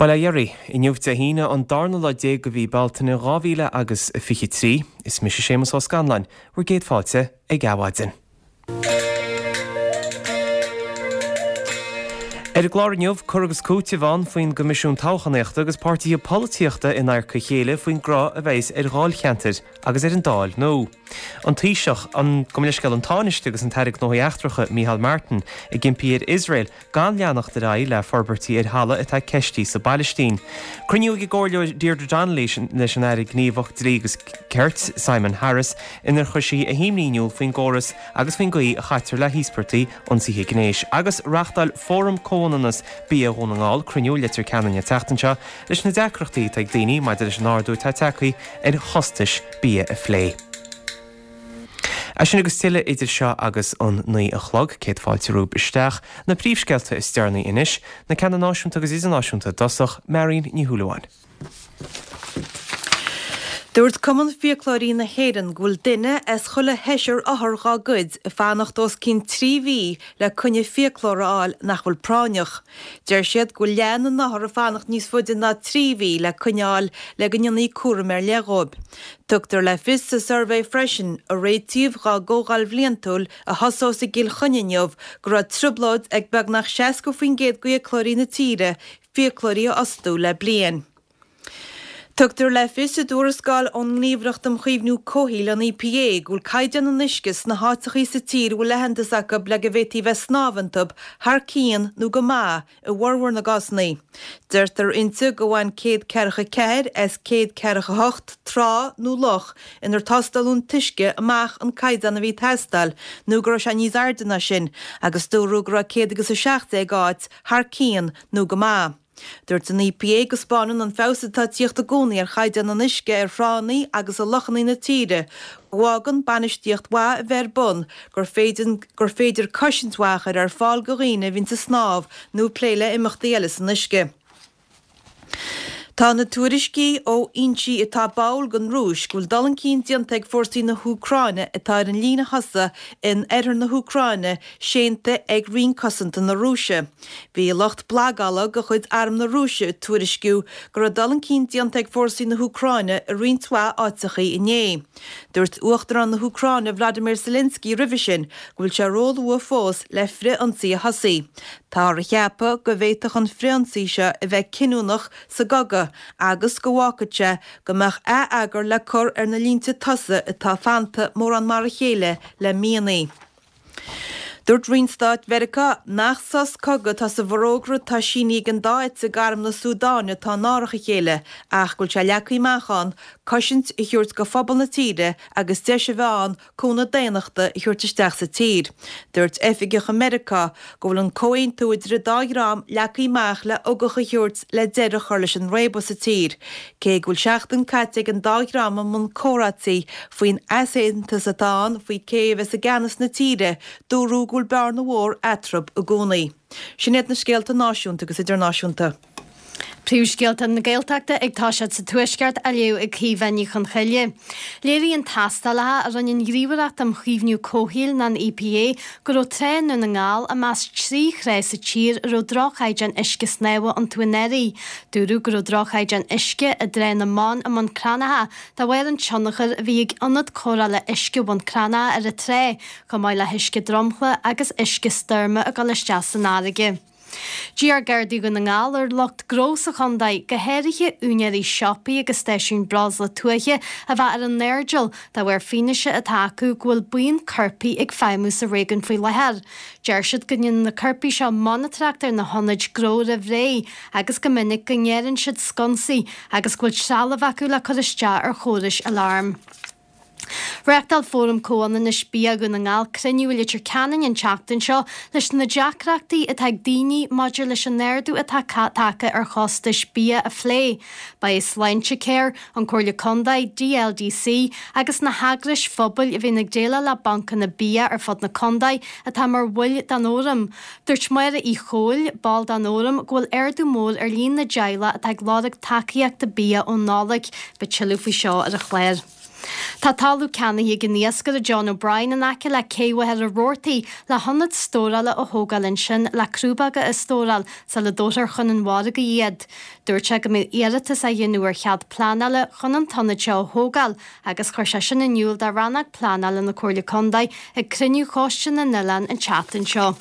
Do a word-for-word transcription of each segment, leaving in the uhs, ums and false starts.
Bail ó Dhia oraibh, inniu Dé hAoine an darna lá déag de mhí Bealtaine dhá mhíle agus a fiche trí. Is mise Séamus Ó Scanláin, bhur gcéad fáilte ag Adhmhaidin. Ar an gclár inniu, cur agus cúiteamh ann faoin gCoimisiún Toghchánaíochta agus páirtithe polaitíochta in adharca a chéile faoin gcruth a bheas ar dháilcheantair agus ar an Dáil nua. An Taoiseach, an, gabh mo leithscéal, an Tánaiste agus an tAire Gnóthaí Eachtracha, Micheál Martin, ag impí ar Iosrael gan leanacht ar aghaidh le forbairtí ar thalamh atá ceistithe sa bPailistín. Cruinniú ag an gComhairleoir Deirdre Donnelly leis an Aire Gníomhach Dlí agus Cirt, Simon Harris, inar chuir sí a himní in iúl faoin gcóras agus faoin gcaoi a chaitear le híospartaigh ionsaithe gnéis. Agus reáchtáil Fóram Comhionannas Bia Dhún na nGall cruinniú i Leitir Ceanainn an tseachtain seo leis na deacrachtaí atá ag daoine maidir leis an ardú atá tagtha ar chostais bia a phlé. É sin agus tuilleadh idir seo agus an naoi a chlog, céad fáilte romhaibh isteach. Na príomhscéalta is deireanaí anois, na ceanna náisiúnta agus idirnáisiúnta i dtosach, Marion Ní Shúilleabháin. Dúirt Cumann Fiaclóirí na hÉireann go bhfuil duine as chuile sheisear othar dhá gcuid ag fanacht os cionn trí mhí le coinne fiaclóra a fháil nach bhfuil práinneach. Deir siad go bhfuil leath na n-othar ag fanacht níos faide ná trí mhí le coinne a fháil le go ndéanfaí cúram ar leith dhóibh. Tugtar le fios sa suirbhé freisin, a réitíodh dhá gcomhdháil bhliantúil a thosós i gCill Chainnigh inniu, go raibh trioblóid ag beagnach seasca faoin gcéad d'fhiaclóirí na tíre fiaclóirí a fhostú le bliain. Tugtar le fios i dtuarascáil ón nGníomhaireacht um Chaomhnú Comhshaoil, an EPA, go bhfuil caighdeán an uisce sna háiteachaí sa tír a bhfuil aitheantas acu le go bhféadfaí bheith ag snámh iontu thar cionn nó go maith i bhformhór na gcásanna. Deirtear inti go bhain céad ceathracha ceathair as céad ceathracha hocht trá nó loch inar tástáladh an t-uisce amach an caighdeán a bhí ag teastáil nó go raibh sé níos airde ná sin agus dúradh go raibh céad agus a seacht déag áit thar cionn nó go maith. Dúirt an EPA go spáineann an feabhas atá ag tíocht i gcónaí ar chaighdeán an uisce ar thránna agus i lochanna na tíre go bhfágann bainistíocht mhaith a bheith ar bun gur féidir gur féidir cosaint mhaith a chur ar fáil do dhaoine a bhíonns ag snámh nó ag plé le imeachtaí eile san uisce. Tá na tuairiscí ó fhoinsí atá báúil don Rúis go bhfuil dul chun cinn déanta ag fórsaí na hÚcráine atá ar an líne thosaigh in oirthear na hÚcráine séanta ag Roinn Cosanta na Rúise. Bhí lucht blagála de chuid Arm na Rúise ag tuairisciú go raibh dul chun cinn déanta ag fórsaí na hÚcráine i roinnt mhaith áiteachaí inné. Dúirt Uachtarán na hÚcráine Vladimir Zelensky roimhe sin go bhfuil sé róluath fós le frith-ionsaí a thosaí. Táthar a cheapadh go bhféadfadh an frith-ionsaí seo a bheith cinniúnach sa gcogadh agus go bhfágfadh sé go mbeadh ath-eagar le cur ar na línte tosaigh atá fanta mórán mar a chéile le míonna. Dúirt Roinn Stáit Mheiriceá nach sos cogaidh atá sa bhforógra atá sínithe ag an dá eite d'arm na Súdáine atá in árach a chéile ach go bhfuil sé leagtha amach ann cosaint a thabhairt do phobal na tíre agus deis a bheith ann cúnamh daonnachta a thabhairt isteach sa tír. Dúirt oifigeach i Meiriceá go bhfuil an comhaontú idir an dá dhream leagtha amach le ugach a thabhairt le deireadh a chur leis an réabadh sa tír. Cé go bhfuil seachtain caite ag an dá dhream i mbun comhráití faoin easaontas atá ann faoi cé a bheas i gceannas na tíre, dúradh go bhfuil bearna mhór eatarthu i gcónaí. Sin iad na scéalta náisiúnta agus idirnáisiúnta. Príomhscéalta na Gaeltachta ag toiseacht sa Tuaisceart á léamh ag Caoimhe Ní Chonchoille. Léiríonn tástálacha a rinne an Ghníomhaireacht um Chaomhnú Comhshaoil nó an EPA go raibh trá i nDún na nGall i measc trí thrá sa tír a raibh droch-chaighdeán uisce snámha iontu anuraidh. Dúradh go raibh droch-chaighdeán uisce i dTrá na mBan i mBun Cranncha de bharr an tionchair a bhí ag ionad cóireála uisce Bhun Cranncha ar an trá, chomh maith le huisce dromchla agus uisce stoirme ag dul isteach san fharraige. D'iarr Gardaí Dhún na nGall ar lucht gnó sa chontae, go háirithe úinéirí siopaí agus stáisiúin breosla tuaithe, a bheith ar a n-airdeall de bharr fianaise atá acu go bhfuil buíon coirpigh ag feidhmiú sa réigiún faoi láthair. Deir siad go ndéanann na coirpigh seo monatóireacht ar na hionaid gnó roimh ré agus go minic go ngearrann siad sconsaí agus go bhfuil trealamh acu le cur isteach ar chórais aláirm. Reáchtáil Fóram Comhionannais Bia Dhún na nGall cruinniú i Leitir Ceanainn an tseachtain seo leis na deacrachtaí atá ag daoine maidir leis an ardú atá tagtha ar chostais bia a phlé. Ba é Sláintecare, an Comhairle Contae, DLDC agus na heagrais phobail a bhíonn ag déileáil le bancanna bia ar fud na contae atá mar bhaill den fhóram. Dúirt Máire Uí Chomhaill, ball den fhóram, go bhfuil ardú mór ar líon na dteaghlach atá ag lorg tacaíochta bia ón Nollaig. Beidh tuilleadh faoi seo ar an chlár. Tá talamh ceannaithe ag an iascaire John O'Brien in aice le Cé Mhachaire Rabhartaigh le hionad stórála a thógáil ansin le crúbóga a stóráil sula dtabharfar chun an mhargaidh iad. Dúirt sé go mbeidh iarratas á dhéanamh ar chead pleanála chun an t-ionad seo a thógáil agus chuir sé sin in iúl do rannóg pleanála na Comhairle Contae ag cruinniú Choiste na nOileán an tseachtain seo.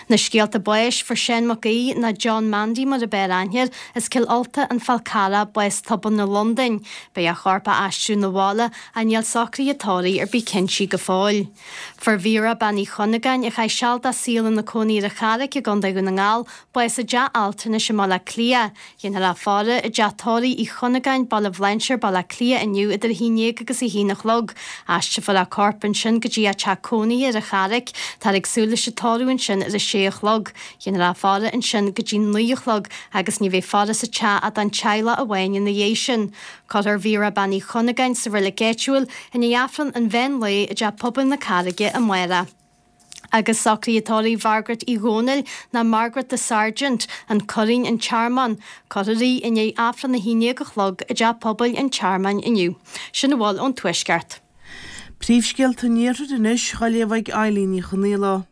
Na scéalta báis fuair Seán Mac Aoidh nó John Mandy mar ab fhearr aithne air, as Cill Ulta, An Fál Carrach, bás tobann i Londain. Beidh a chorp á aistriú 'na bhaile ach níl socruithe tórraimh ar bith cinnte go fóill. Fuair Vera Bean Uí Chunagáin, a chaith seal dá saol ina cónaí ar an Charraic i gContae Dhún na nGall, bás i dteach altranais i mBaile Átha Cliath. Dhéanfar a faire i dteach tórraimh Uí Chunagáin, Baile Bhlainséir, Baile Átha Cliath inniu idir a haon déag agus a haon a chlog. Aistreofar a corp ansin go dtí a teach cónaithe ar an Charraic. Táthar ag súil leis an tórramh ansin ar a sé a chlog. Dhéanfar a faire ansin go dtí naoi a chlog agus ní bheidh faire sa teach ach don teaghlach amháin ina dhiaidh sin. Cuirfear Vera Bean Uí Chunagáin sa reilig áitiúil i ndiaidh Aifreann an mheán lae i dteach pobail na Carraige amárach. Agus socruithe tórraimh Mhargaret Uí Dhónaill nó Margaret the Sergeant, An Curraoin, An Tearmann. Cuirfear í i ndiaidh Aifreann a haon déag a chlog i dteach pobail an Tearmainn inniu. Sin a bhfuil ón Tuaisceart. Príomhscéalta an Iarthair anois, á léamh ag Eileen Ní Chonghaile.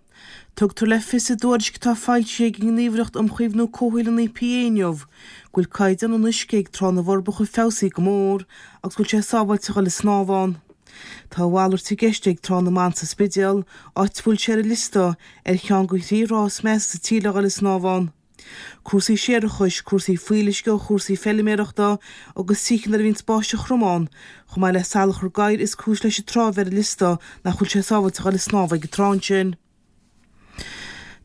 Tugtar le fios i dtuairisc atá foilsithe ag an nGníomhaireacht um Chaomhnú Comhshaoil an EPA inniu go bhfuil caighdeán an uisce ag Trá na bhForbacha feabhsaithe go mór agus go bhfuil sé sábháilte a dhul ag snámh ann. Tá a mhalairt i gceist ag Trá na mBan sa Spidéal, áit a bhfuil sé ar an liosta ar cheann de thrí thrá is measa sa tír le dhul ag snámh ann. Cúrsaí séarachais, cúrsaí fuíolluisce ó chúrsaí feiliméarachta agus tithe nuair a bhíonns báisteach throm ann, chomh maith le salachar gadhair is cúis leis an trá a bheith ar an liosta nach bhfuil sé sábháilte a dhul ag snámh ag an trá ansin.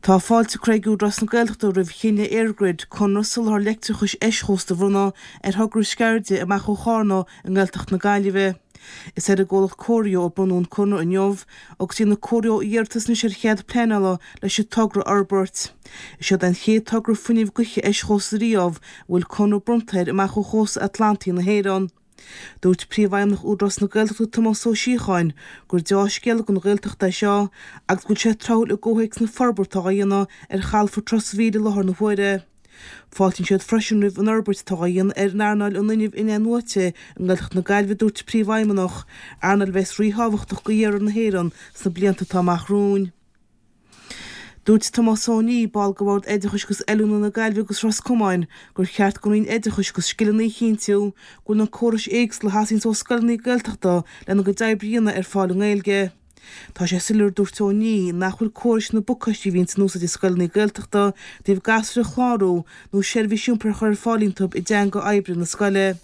Tá fáilte curtha ag Údarás na Gaeltachta roimh chinneadh EirGrid conradh soláthair leictreachais eischósta a bhronnadh ar thogra Sceirde amach ó Chárna i nGaeltacht na Gaillimhe. Is ar an gcomhlacht Corio a bronnadh an conradh inniu agus déanfaidh Corio iarratas anois ar chead pleanála leis an togra a fhorbairt. Is é an chéad togra fuinnimh gaoithe eischósta riamh a bhfuil conradh bronnta air amach ó chósta Atlantaigh na hÉireann. Dúirt Príomhfheidhmeannach Údarás na Gaeltachta Tomás Ó Síocháin gur deá-scéala don Ghaeltacht é seo agus go bhfuil sé tráthúil i gcomhthéacs na forbartha atá á dhéanamh ar chalafort Ros an Mhíl i láthair na huaire. Fáiltíonn siad freisin roimh an fhorbairt atá á dhéanamh ar an earnáil an fhuinnimh in-athnuaite i nGaeltacht na Gaillimhe, a dúirt an Príomhfheidhmeannach, earnáil a bheas ríthábhachtach do iarthar na hÉireann sna blianta atá amach romhainn. Dúirt Tomás Ó Nídh, ball de Bhord Oideachais agus Oiliúna na Gaillimhe agus Ros Comáin, gur cheart don Roinn Oideachais agus Scileanna a chinntiú go bhfuil na córais éagsúla a theastaíonns ó scoileanna Gaeltachta lena gcuid oibre a dhéanamh ar fáil i nGaeilge. Tá sé soiléir, a dúirt Ó Nídh, nach bhfuil córais na bpacáistí a bhíonns in úsáid i scoileanna Gaeltachta i dtaobh gasúir a chlárú nó seirbhís iompair a chur ar fáil iontu i dteanga oibre na scoile.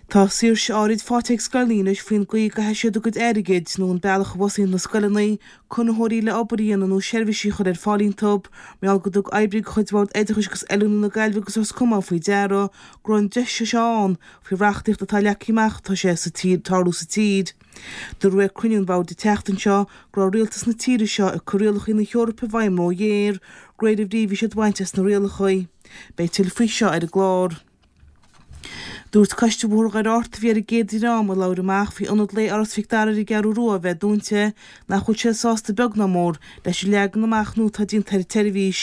Tá saoirse áirid faighte ag scoileanna anois faoin gcaoi a gcaithfidh siad a gcuid airgid, nó an bealach a bhfostaíonn na scoileanna conraitheoirí le obair a dhéanamh nó seirbhísí a chur ar fáil iontu, mar gheall gur thug oibrí de chuid Bhord Oideachais agus Oiliúna na Gaillimhe agus Ros Comáin faoi deara go raibh an deis seo ann faoi reachtaíocht atá leagtha amach atá sé sa tír tarlú sa tír. Dúradh ag cruinniú an bhoird an tseachtain seo go raibh rialtas na tíre seo ag cur rialacha na hEorpa i bhfeidhm róghéar, de réir a bhrí a bhí siad a bhaint as na rialacha. Beidh tuilleadh faoi seo ar an gclár. Dúirt Coiste Bhóthar Dhoire Fhatharta, a bhí ar an gcéad dream a labhair amach faoi ionad lae Áras Mhic Dara ar an gCeathrú Rua a bheith dúnta, nach bhfuil siad sásta beag ná mór leis an leagan amach nua atá déanta ar an tseirbhís.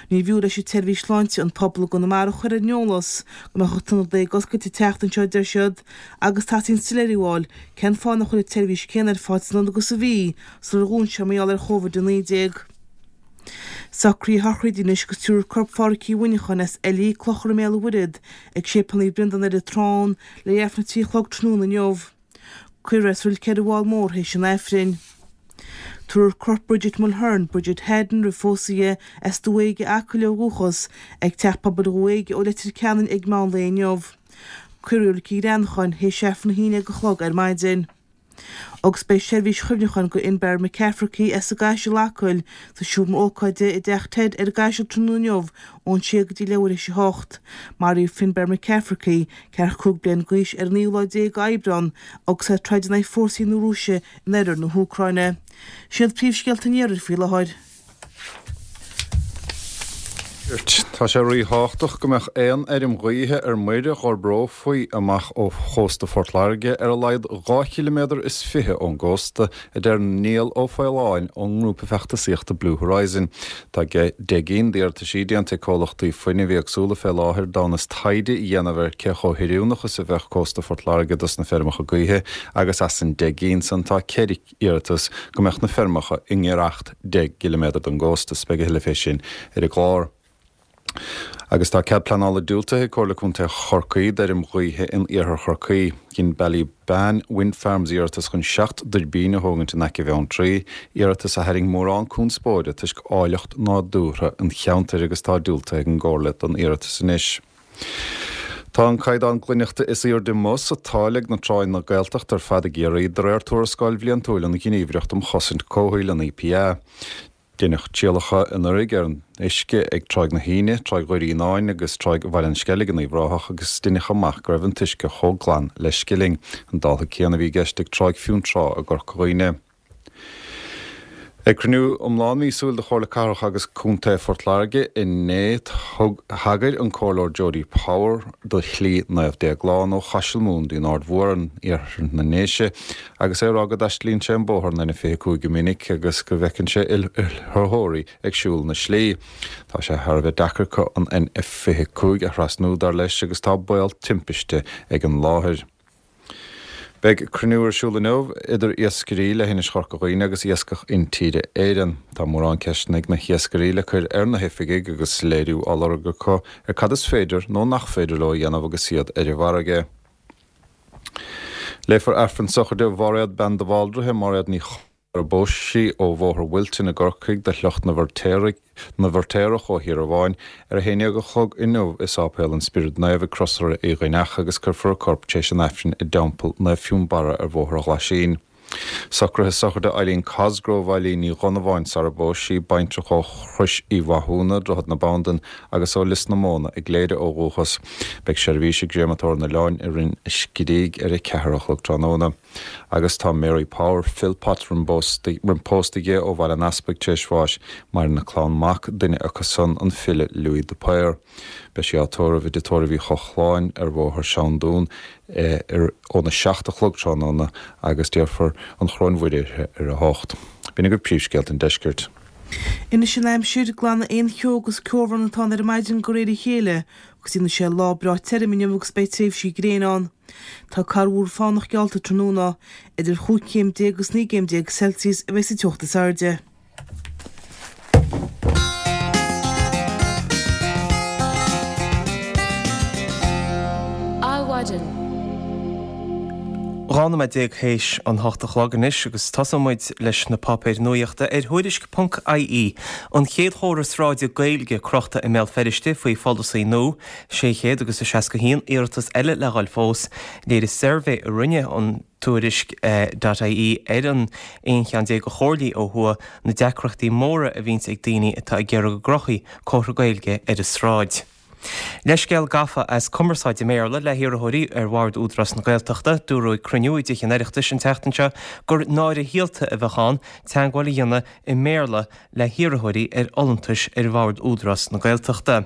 Níorbh fhiú leis an tseirbhís sláinte an pobal i gConamara a chur ar an eolas go mbeadh an t-ionad lae ag oscailt an tseachtain seo, a deir siad, agus teastaíonn soiléiriú a fháil cén fáth nach bhfuil an tseirbhís céanna ar fáil san ionad agus a bhí sular dhún sé mar gheall ar Chóivid a naoi déag. Socruithe a shochraide anois agus tabharfar corp Phádhraic Uí Mhuineacháin as Eilí, Clochar i mBéal an Mhuirthead, ag Séipéal Naomh Breandán ar an Trán le Aifreann a trí a chlog tráthnóna inniu. Cuirfear é sa reilig ar an bhFál Mór théis an Aifrinn. Tabharfar corp Bridget Mulhern, Bridget Haddon roimh phósadh di, as Dumha Éige, Acaill ó dhúchas, ag Teach Pobail Dhumha Éige ó Leitir Ceanainn ag meán lae inniu. Cuirfear í i Reilig an Ghreanacháin théis Aifreann a haon déag a chlog ar maidin. Agus beidh seirbhís chuimhneacháin do Fhinnbarr McCafferty as an gCaiseal, Acaill, sa seomra ócáide i dTeach Ted ar an gCaiseal tráthnóna inniu ón sé go dtí leathuair théis a hocht. Maraíodh Finnbarr McCafferty, ceathracha cúig bliain d'aois, ar an naoú lá déag d'Aibreán agus é ag troid in aghaidh fórsaí na Rúise in oirthear na hÚcráine. Sin iad príomhscéalta an iarthair faoi láthair. Tá sé ríthábhachtach go mbeadh aon fheirm ghaoithe ar muir a d'fhorbrófaí amach ó chósta Phort Láirge ar a laghad dhá chiliméadar is fiche ón gcósta, a deir Niall Ó Faoláin ón ngrúpa feachtasaíochta Blue Horizon. Tá deich gcinn d'iarrataisí déanta ag comhlachtaí fuinnimh éagsúla fé láthair d'fhonn is taighde a dhéanamh ar cé chomh hoiriúnach is a bheadh cósta Phort Láirge dos na feirmeacha gaoithe agus as an deich gcinn san tá ceithre iarratas go mbeadh na feirmeacha i ngiorracht deich gciliméadar don gcósta. Beidh a thuilleadh fé sin ar an gclár. Agus tá cead pleanála diúltaithe ag Comhairle Contae Chorcaí d'fheirm ghaoithe in iarthar Chorcaí. Dhein Ballybane Wind Farms iarratas chun seacht dtuirbín a thógaint in aice Bheanntraí, iarratas a tharraing mórán conspóide toisc áilleacht nádúrtha an cheantair agus tá diúltaithe ag an gComhairle don iarratas anois. Tá an caighdeán glaineachta is airde amuigh sa tsáil ag na tránna Gaeltachta ar fad i gCiarraí de réir tuarascáil bhliantúil an Ghníomhaireacht um Chosaint Comhshaoil, an EPA. Deineadh trialacha anuraidh ar an uisce ag Tráigh na hAoine, Tráigh Dhoirí Fhíonáin agus Tráigh Bhaile an Sceilg in Uíbh Ráthach agus deineadh amach go raibh an t-uisce chomh glan le scilling. An dála céanna a bhí i gceist ag Tráigh Fionntrá i gCorca Dhuibhne. Ag cruinniú iomlán míosúil de Chomhairle Cathrach agus Contae Phort Láirge inné, thug thagair an Comhairleoir Jody Power do Shlí Naomh Déaglán ó Chaiseal Mumhan dtí'n Aird Mhór in iarthar na nDéise agus é ag rá go dtaistilíonn sé an bóthar an N fiche a cúig go minic agus go bhfeiceann sé ilrothaí ag siúl na slí. Tá sé thar a bheith deacair acu an N fiche a cúig a thrasnú dar leis agus tá baol timpiste ag an láthair. Beidh cruinniú ar siúl inniu idir iascairí le hInis Chorca Dhuibhne agus Iascach Intíre Éireann. Tá mórán ceisteanna ag na hiascairí le cur ar na hoifigigh agus léiriú á lorg acu ar cad is féidir nó nach féidir leo a dhéanamh agus iad ar an bhfarraige. Léifear Aifreann sochraide Mháiréad Bean de Bhaldraithe, Máiréad Ní ar a bpós sí ó Bhóthar Wilton i gCorcaigh de shliocht na bhFeirtéarach ó Thír Amháin ar a haon déag a chlog inniu i Sáipéal an Spioraid Naomh ag Crosaire Uí Dhuibhneach agus cuirfear a corp tar éis an Aifrinn i dTeampall Naomh Fionnbarra ar Bhóthar an Ghlaisín. Socruithe sochraide Eileen Cosgrove, Eileen Ní Dhonnabháin sara bpós sí, baintreach ó Chrois Uí Mhathúna, Droichead na Bandan agus ó Lios na Móna i gCléire ó dhúchas. Beidh seirbhís i gCréamatóir an Oileáin i Rinn an Screígh ar a ceathair a chlog tráthnóna. Agus tá Mary Power Philpott roim pósta di ó Bhaile an Easpaig tar éis bháis. Maireann a clann mac, duine acu san an file Louis de Paor. Beidh sí á tórramh i dTigh Tórraimh Uí Chochláin ar Bhóthar Seandún ar óna seacht a chlog tráthnóna agus déarfar an Choróin Mhuire uirthi ar a hocht. B'in agaibh príomhscéalta an deiscirt. Anois an aimsir, glanfaidh aon cheo agus ceobhrán atá ann ar maidin de réir a chéile agus déanfaidh sé lá breá tirim inniu agus beidh tréimhsí gréine ann. Tá corrmhúr fánach geallta tráthnóna. Idir chúig chéim déag agus naoi gcéim déag Celsius a bheidh sa teocht is airde. Adhmhaidin. Dhá nóiméad déag théis an hocht a chlog anois agus tosóidh muid leis na páipéir nuachta ar Thuairisc ponc IE, an chéad chomhartha sráide Gaeilge crochta i mBéal Feirste faoi pholasaí nua, sé chéad agus a seasca haon iarratas eile le dhul fós. Léirigh suirbhé a rinne an Tuairisc dot IE ar an aon cheann déag de chomhairlí ó thuaidh na deacrachtaí móra a bhíonns ag daoine atá ag iarraidh go gcrochfaí comhartha Gaeilge ar a sráid. Leithscéal gafa as cumarsáid i mBéarla le hiarrthóirí ar bhord Údarás na Gaeltachta. Dúradh ag cruinniú i dTithe an Oireachtais an tseachtain seo gur náire shaolta a bheadh ann teagmháil a dhéanamh i mBéarla le hiarrthóirí ar fholúntais ar bhord Údarás na Gaeltachta.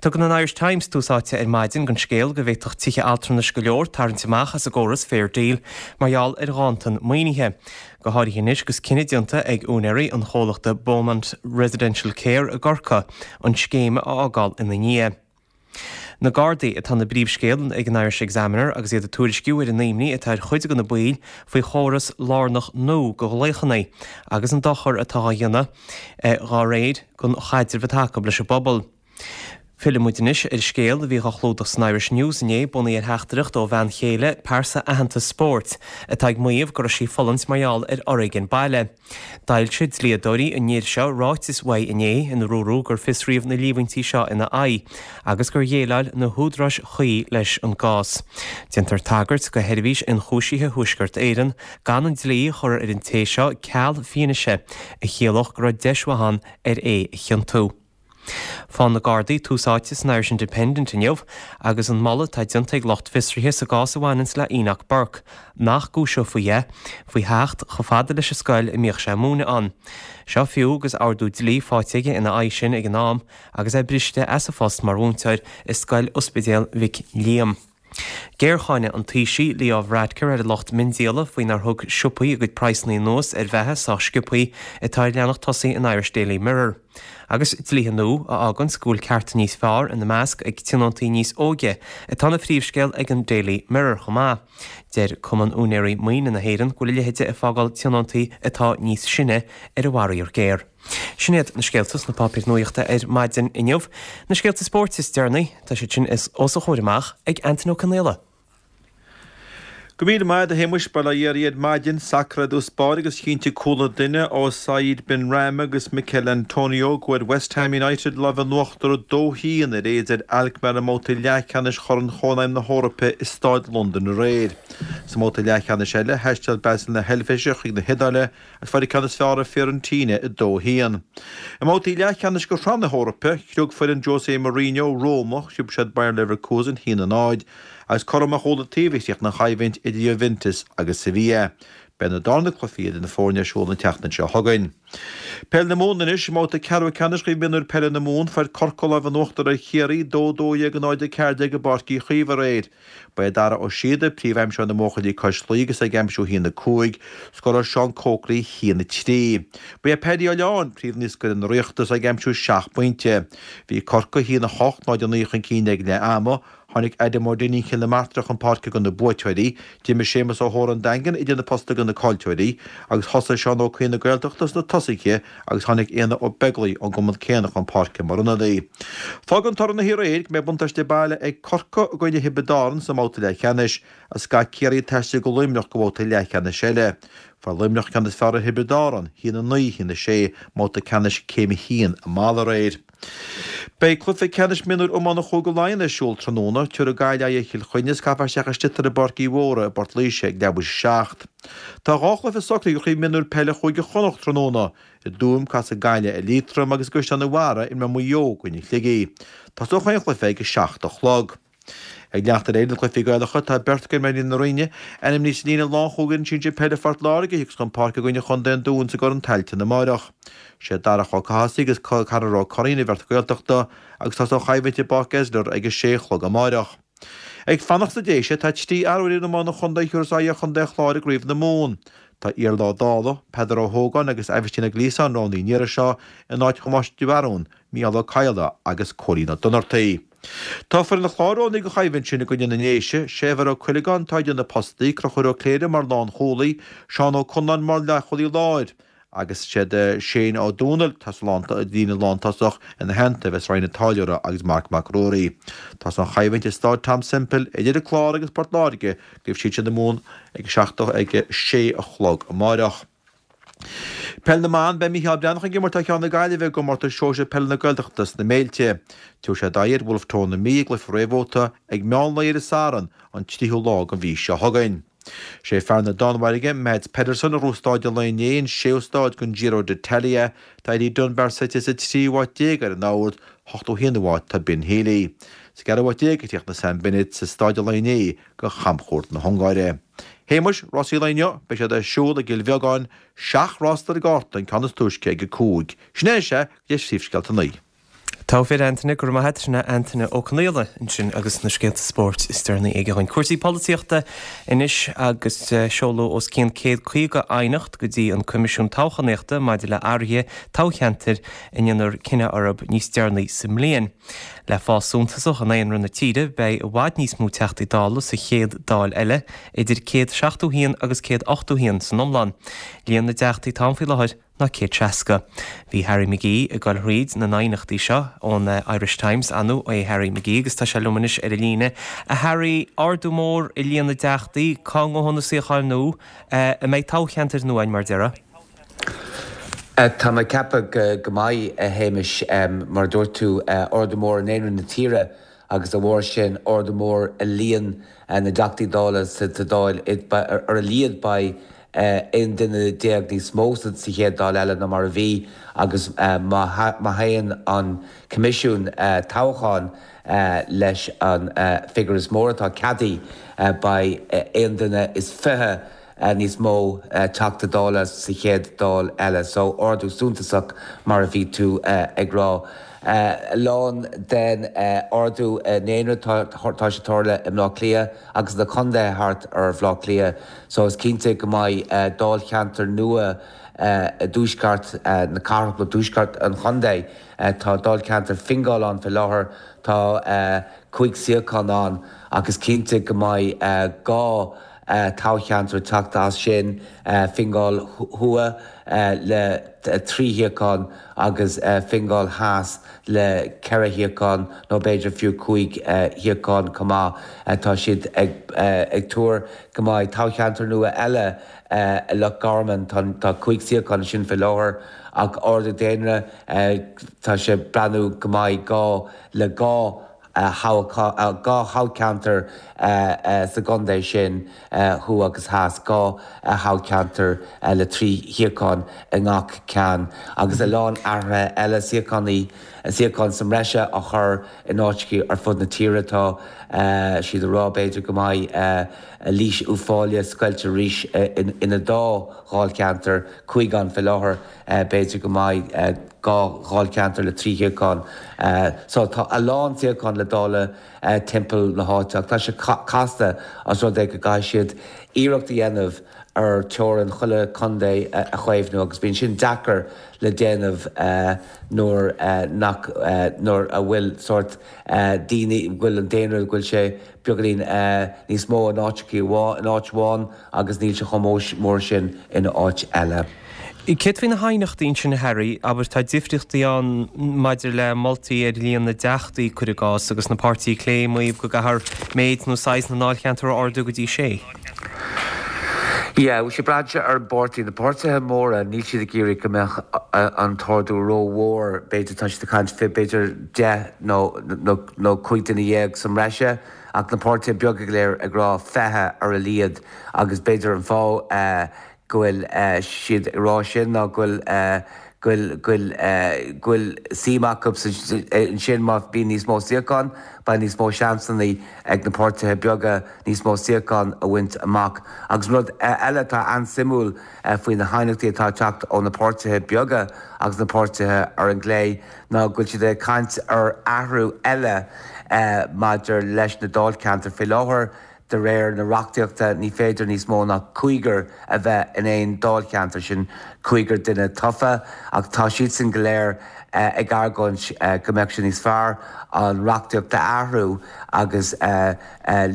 Tugann an Irish Times tús áite ar maidin don scéal go bhféadfadh tithe altranais go leor tarraingt amach as an gcóras Fair Deal mar gheall ar ghanntan maoinithe. Go háirithe anois agus cinneadh déanta ag úinéirí an chomhlachta Beaumont Residential Care i gCorcaigh an scéim a fhágáil ina ndiaidh. Na Gardaí atá ina bpríomhscéal ag an Irish Examiner agus iad ag tuairisciú ar an imní atá ar chuid de na baill faoi chóras lárnach nua do ghlaochanna agus an dochar atá á dhéanamh dá réir don chaidreamh atá acu leis an bpobal. Fillfidh muid anois ar scéal a bhí á chlúdach san Irish News inné, bunaithe ar theachtaireacht ó bhean chéile pearsa aitheanta spóirt atá ag maíomh go raibh sí ag fulaingt mar gheall ar fhoréigean baile. D'fhoilsigh dlíodóirí an fhir seo ráiteas uaidh inné ina dúradh gur fiosraíodh na líomhaintí seo ina aghaidh agus gur dhéileáil na húdaráis chuí leis an gcás. Déantar tagairt do Sheirbhís Ionchúisithe Thuaisceart Éireann gan an dlí a chur ar an té seo ceal fianaise a chiallódh go raibh deis mhaith ann ar é a chiontú. Fághann na Gardaí tús áite san Irish Independent inniu agus an moladh atá déanta ag lucht fiosraithe sa gcás a bhaineanns le Enoch Burke, nach gcúiseofaí é faoi theacht chomh fada leis an scoil a mbíodh sé ag múineadh ann. Seo fiú agus ordú dlí faighte aige ina aghaidh sin ag an am agus é briste as a phost mar mhúinteoir i Scoil Ospidéal Mhic Liam. Géarcháineadh an Taoisigh Leo Varadkar ar an lucht miondíola faoi nár thug siopaí a gcuid praghsanna anuas ar bheatha sách sciobthaí atá ar leathanach tosaigh an Irish Daily Mirror. Agus dlíthe nua a fháganns go bhfuil cearta níos fearr ina measc ag tionóntaí níos óige atá ina phríomhscéal ag an Daily Mirror chomh maith. Deir Cumann Úinéirí Maoine na hÉireann go bhfuil a leithéide ag fágáil tionóntaí atá níos sine ar an bhfaraor géar. Sin iad na scéalta sna páipéir nuachta ar maidin inniu. Na scéalta spóirt is deireanaí, tá siad sin os a chomhair amach ag Antaine Ó Conaola. Go míle maith a Shéamuis, bail ó Dhia oraibh ar maidin, sacar i dtús báire agus chinntigh cúl an duine ó Said Benrahma agus Michail Antonio go bhfuair West Ham United lámh in uachtar a dó haon ar AZ Alkmaar i mbabhta leathcheannais Chorn Chónaidhm na hEorpa i Staid Londain aréir. Sa mbabhta leathcheannais eile, thaisteal Basel na hEilvéise chuig na hIodáile agus fuair an ceann is fearr ar Fiorentina a dó haon. I mbabhtaí leathcheannais de Shraith na hEorpa, scrios foireann Jose Mourinho Roma, sciob siad Bayer Leverkusen a haon a náid. Agus cothrom ar chúl an taobh a chríochnaigh an choimhlint idir Juventus agus Sevilla. Beidh na darna cluichí idir na foirne ar siúl an tseachtain seo chugainn. Peil na Mumhan anois, i mbabhta ceathrú ceannais Chraobh Mionúir Peile na Mumhan, fuair Corcaigh lámh in uachtar ar Chiarraí, dó a dó dhéag a náid a ceathair déag i bPáirc Uí Chaoimh aréir. Ba é Dara Ó Síoda príomhaimseoir na mbuachaillí cois Laoi agus é ag aimsiú a haon a cúig, scóráil Seán Coakley a haon a trí. Ba é Paddy Ó Liatháin príomhnaoscaire na Ríochta agus é ag aimsiú seacht bpointe. Bhí Corcaigh a haon a hocht, náid a naoi chun cinn ag leath ama. Tháinig Adam Ó Duinnín Chill na Martra chun páirce do na buaiteoirí, d'imir Séamus Ó hÓra an Daingean idir na postaí do na caillteoirí, agus thosaigh Seán Ó Cuinn na Gaeltachta sna tosaithe agus tháinig Éanna Ó Beaglaoich ón gcumann céanna chun páirce mar ionadaí. Fágann toradh na haréir go mbeidh buntáiste baile ag Corcaigh i gcoinne Thiobraid Árann sa mbabhta leathcheannais, agus caithfidh Ciarraí taisteal go Luimneach do bhabhta leathcheannais eile. Fuair Luimneach ceann is fearr ar Thiobraid Árann, a haon a naoi, a haon a sé, i mbabhta ceannais Céim a haon i Mala aréir. Beidh cluiche ceannais mionúir iomána Chúige Laighean ar siúl tráthnóna. Tabharfaidh Gaillimh aghaidh ar Chill Chainnigh is caithfear isteach i sliotar i bPáirc Uí Mhórdha i bPort Laoise ag leathuair théis a seacht. Tá dhá chluiche socraithe do Chraobh Mionúir Peile Chúige Chonnacht tráthnóna. I dTuaim, casfaidh Gaillimh ar Liatroim agus i gCaisleán an Bharraigh imreoidh Maigh Eo i gcoinne Shligigh. Tosóidh chaon chluiche ag a seacht a chlog. Ag leanacht ar aghaidh le cluichí Gaelacha, tá beirt d'imreoirí na Rinne ainmnithe sa líne lánchúil d'fhoireann sinsir peile Phort Láirge a thiocfas chun páirce i gcoinne chontae an Dúin sa gCorn Tailteann amáireach. Sé Darach Ó Cathasaigh agus Conor Ó Curraoin an bheirt Ghaeltachta agus tosóidh an choimhlint i bPáirc Esler ag a sé a chlog amáireach. Ag fanacht sna Déise, tá trí fhear ó fhoireann iomána an chontae a thabharfas aghaidh ar chontae an Chláir i gCraobh na Mumhan. Tá Iarla Ó Dálaigh, Peadar Ó hÓgáin agus Aibhistín Ó Gliasáin roghnaithe an iarraidh seo in áit Thomáis de Bharún, Mícheál Ó Cadhla agus Cóilín Ó Donnartaigh. Tá foireann an Chláir roghnaithe don choimhlint sin i gcoinne na nDéise, Séabhar Ó Cuileagáin atá idir na postaí, Conchúr Ó Cléirigh mar lánchúlaí, Seán Ó Conláin mar leathchúlaí láir, agus siad Shane Ó Dúnaill atá sa líne lántosach ina theannta a bheas Ryan Ó Táilliúra agus Marc Mac Ruairí. Tosóidh an choimhlint i Stáid Tom Semple idir an Clár agus Port Láirge i gCraobh Shinsir na Mumhan ag ag a sé a chlog amáireach. Peil na mBan, Beidh Mícheál Breathnach ag imirt thar ceann na Gaillimhe i gComórtas Sóisir Peile na Gaeltachta sna Méilte. Tabharfaidh siad aghaidh ar Bhulf Tón na Mí i gcluiche réamhbhabhta ag meán lae ar an Satharn, an tríú lá den mhí seo chugainn. Sé fear na Danmhairge, Mads Pedersen, a ghnóthaigh stáid an lae inné, an séú stáid den Giro d'Italia. Tá Eddie Dunbar suite sa tríú háit déag ar an ord, ochtó a haonú háit tá Ben Healy. Sa gceathrú háit déag a chríochnaigh Sam Bennett sa stáid an lae inné do chamchuairt na hUngáire. Shéamuis, rásaí an lae inniu, beidh siad ar siúl i gCill Bheagáin, seacht rás ar an gcárta, an ceann is túisce ag a cúig. Sin é is ea, go dtí phríomhscéalta a naoi. Togha fir Antaine, go raibh maith agat, sin é Antaine Ó Conaola ansin agus na scéalta spóirt is deireanaí aige dhúinn. Cúrsaí polaitíochta anois agus seoladh os cionn céad caoga aighneacht go dtí an Coimisiún Toghchánaíochta maidir le athruithe toghcheantair a ndéanfar cinneadh orthu níos deireanaí sa mbliain. Le fás suntasach i ndaonra na tíre, beidh i bhfad níos mó Teachtaí Dála sa chéad Dáil eile, idir céad seachtó a haon agus céad ochtó a haon san iomlán. Líon na dTeachtaí atá ann faoi láthair ná céad seasca. Bhí Harry McGee ag dul thríd na n-aighneachtaí seo ón Irish Times, an é Harry McGee agus tá sé liom anois ar an líne. A Harry, ardú mór i líon na dTeachtaí, cá ngabhfaidh na suíocháin nua? An mbeidh toghcheantair nua againn mar a déarfá? Tá mé ag ceapadh go mbeidh, a Shéamais. Mar a dúirt tú, ardú mór i ndaonra na tíre agus dá bharr sin ardú mór i líon na dTeachtaí Dála sa Dáil. Ar a laghad beidh aon duine déag níos mó sa chéad Dáil eile ná mar a bhí agus má théann an Coimisiún Toghcháin leis an figiúr is mó atá ceadaithe, beidh aon duine is fiche níos mó Teachta Dála sa chéad Dáil eile. So ardú suntasach mar a bhí tú ag rá. A lán den ardú i ndaonra tá sé tarla i mBleá Cliath agus na contaetha thart ar Bhleá Cliath so is cinnte go mbeidh dáilcheantar nua i dtuaisceart na cathrach nó tuaisceart an chontae. Tá dáilcheantar Fingal ann faoi láthair, tá cúig suíochán ann ach is cinnte go mbeidh dhá toghcheantar ag teacht as sin, Fingal Thuaidh le trí shuíochán agus Fingal Theas le ceithre shuíochán nó b'fhéidir fiú cúig shuíochán chomh maith. Tá siad ag tuar go mbeidh toghcheantar nua eile i Loch Garman, tá cúig suíochán ansin faoi láthair ach ardú daonra, tá sé ag breathnú go mbeidh gá le dhá dhá thoghcheantar sa gcontae sin, thuaidh agus theas, dhá thoghcheantar le trí shuíochán i ngach ceann, agus a lán athruithe eile, suíocháin, suíocháin sa mbreise á chur in áiteacha ar fud na tíre. Tá siad ag rá, b'fhéidir, go mbeidh Laois Uíbh Fhailí scoilte arís ina dá dháilcheantar, cúig ann faoi láthair, b'fhéidir go mbeidh dhá dháilcheantar le trí shuíochán. So tá a lán suíochán le dáileadh timpeall na háite ach tá sé casta os rud é go gcaithfidh siad iarracht a dhéanamh ar teorainn chuile chontae a chaomhnú agus bíonn sin deacair le déanamh nuair nach nuair a bhfuil sórt daoine go bhfuil an daonra go bhfuil sé beagáinín níos mó in áiteachaí in áit amháin agus níl sé chomh mór sin in áit eile. Céard faoi na haighneachtaí ansin a Harry, abair tá difríochtaí ann maidir le moltaí ar líon na dteachtaí, cuir i gcás, agus na páirtithe clé ag maíomh go gcaithfear méid nó saghas na ndáilcheantar a ardú go dtí sé. Yeah, bhuel sé braitheann sé ar an bpáirtí. Na páirtithe móra, níl siad ag iarraidh go mbeadh an t-ardú rómhór, b'fhéidir tá siad ag caint faoi b'fhéidir deich nó nó cúig duine dhéag sa mbreise, ach na páirtithe beaga go léir ag rá fiche ar a laghad agus b'fhéidir an fáth go bhfuil siad ag rá sin ná go bhfuil go bhfuil go bhfuil go bhfuil suim acu ansin má bhíonn níos mó suíochán, beidh níos mó seansanna ag na páirtithe beaga níos mó suíochán a bhaint amach. Agus rud eile atá an-suimiúil faoi na haighneachtaí atá ag teacht ó na páirtithe beaga agus na páirtithe ar an gclé ná go bhfuil siad ag caint ar athrú eile maidir leis na dáilcheantair faoi láthair. De réir na reachtaíochta, ní féidir níos mó ná cúigear a bheith in aon dáilcheantar, sin cúigear duine tofa, ach tá siadsan go léir ag argóint go mbeadh sé níos fearr an reachtaíocht a athrú agus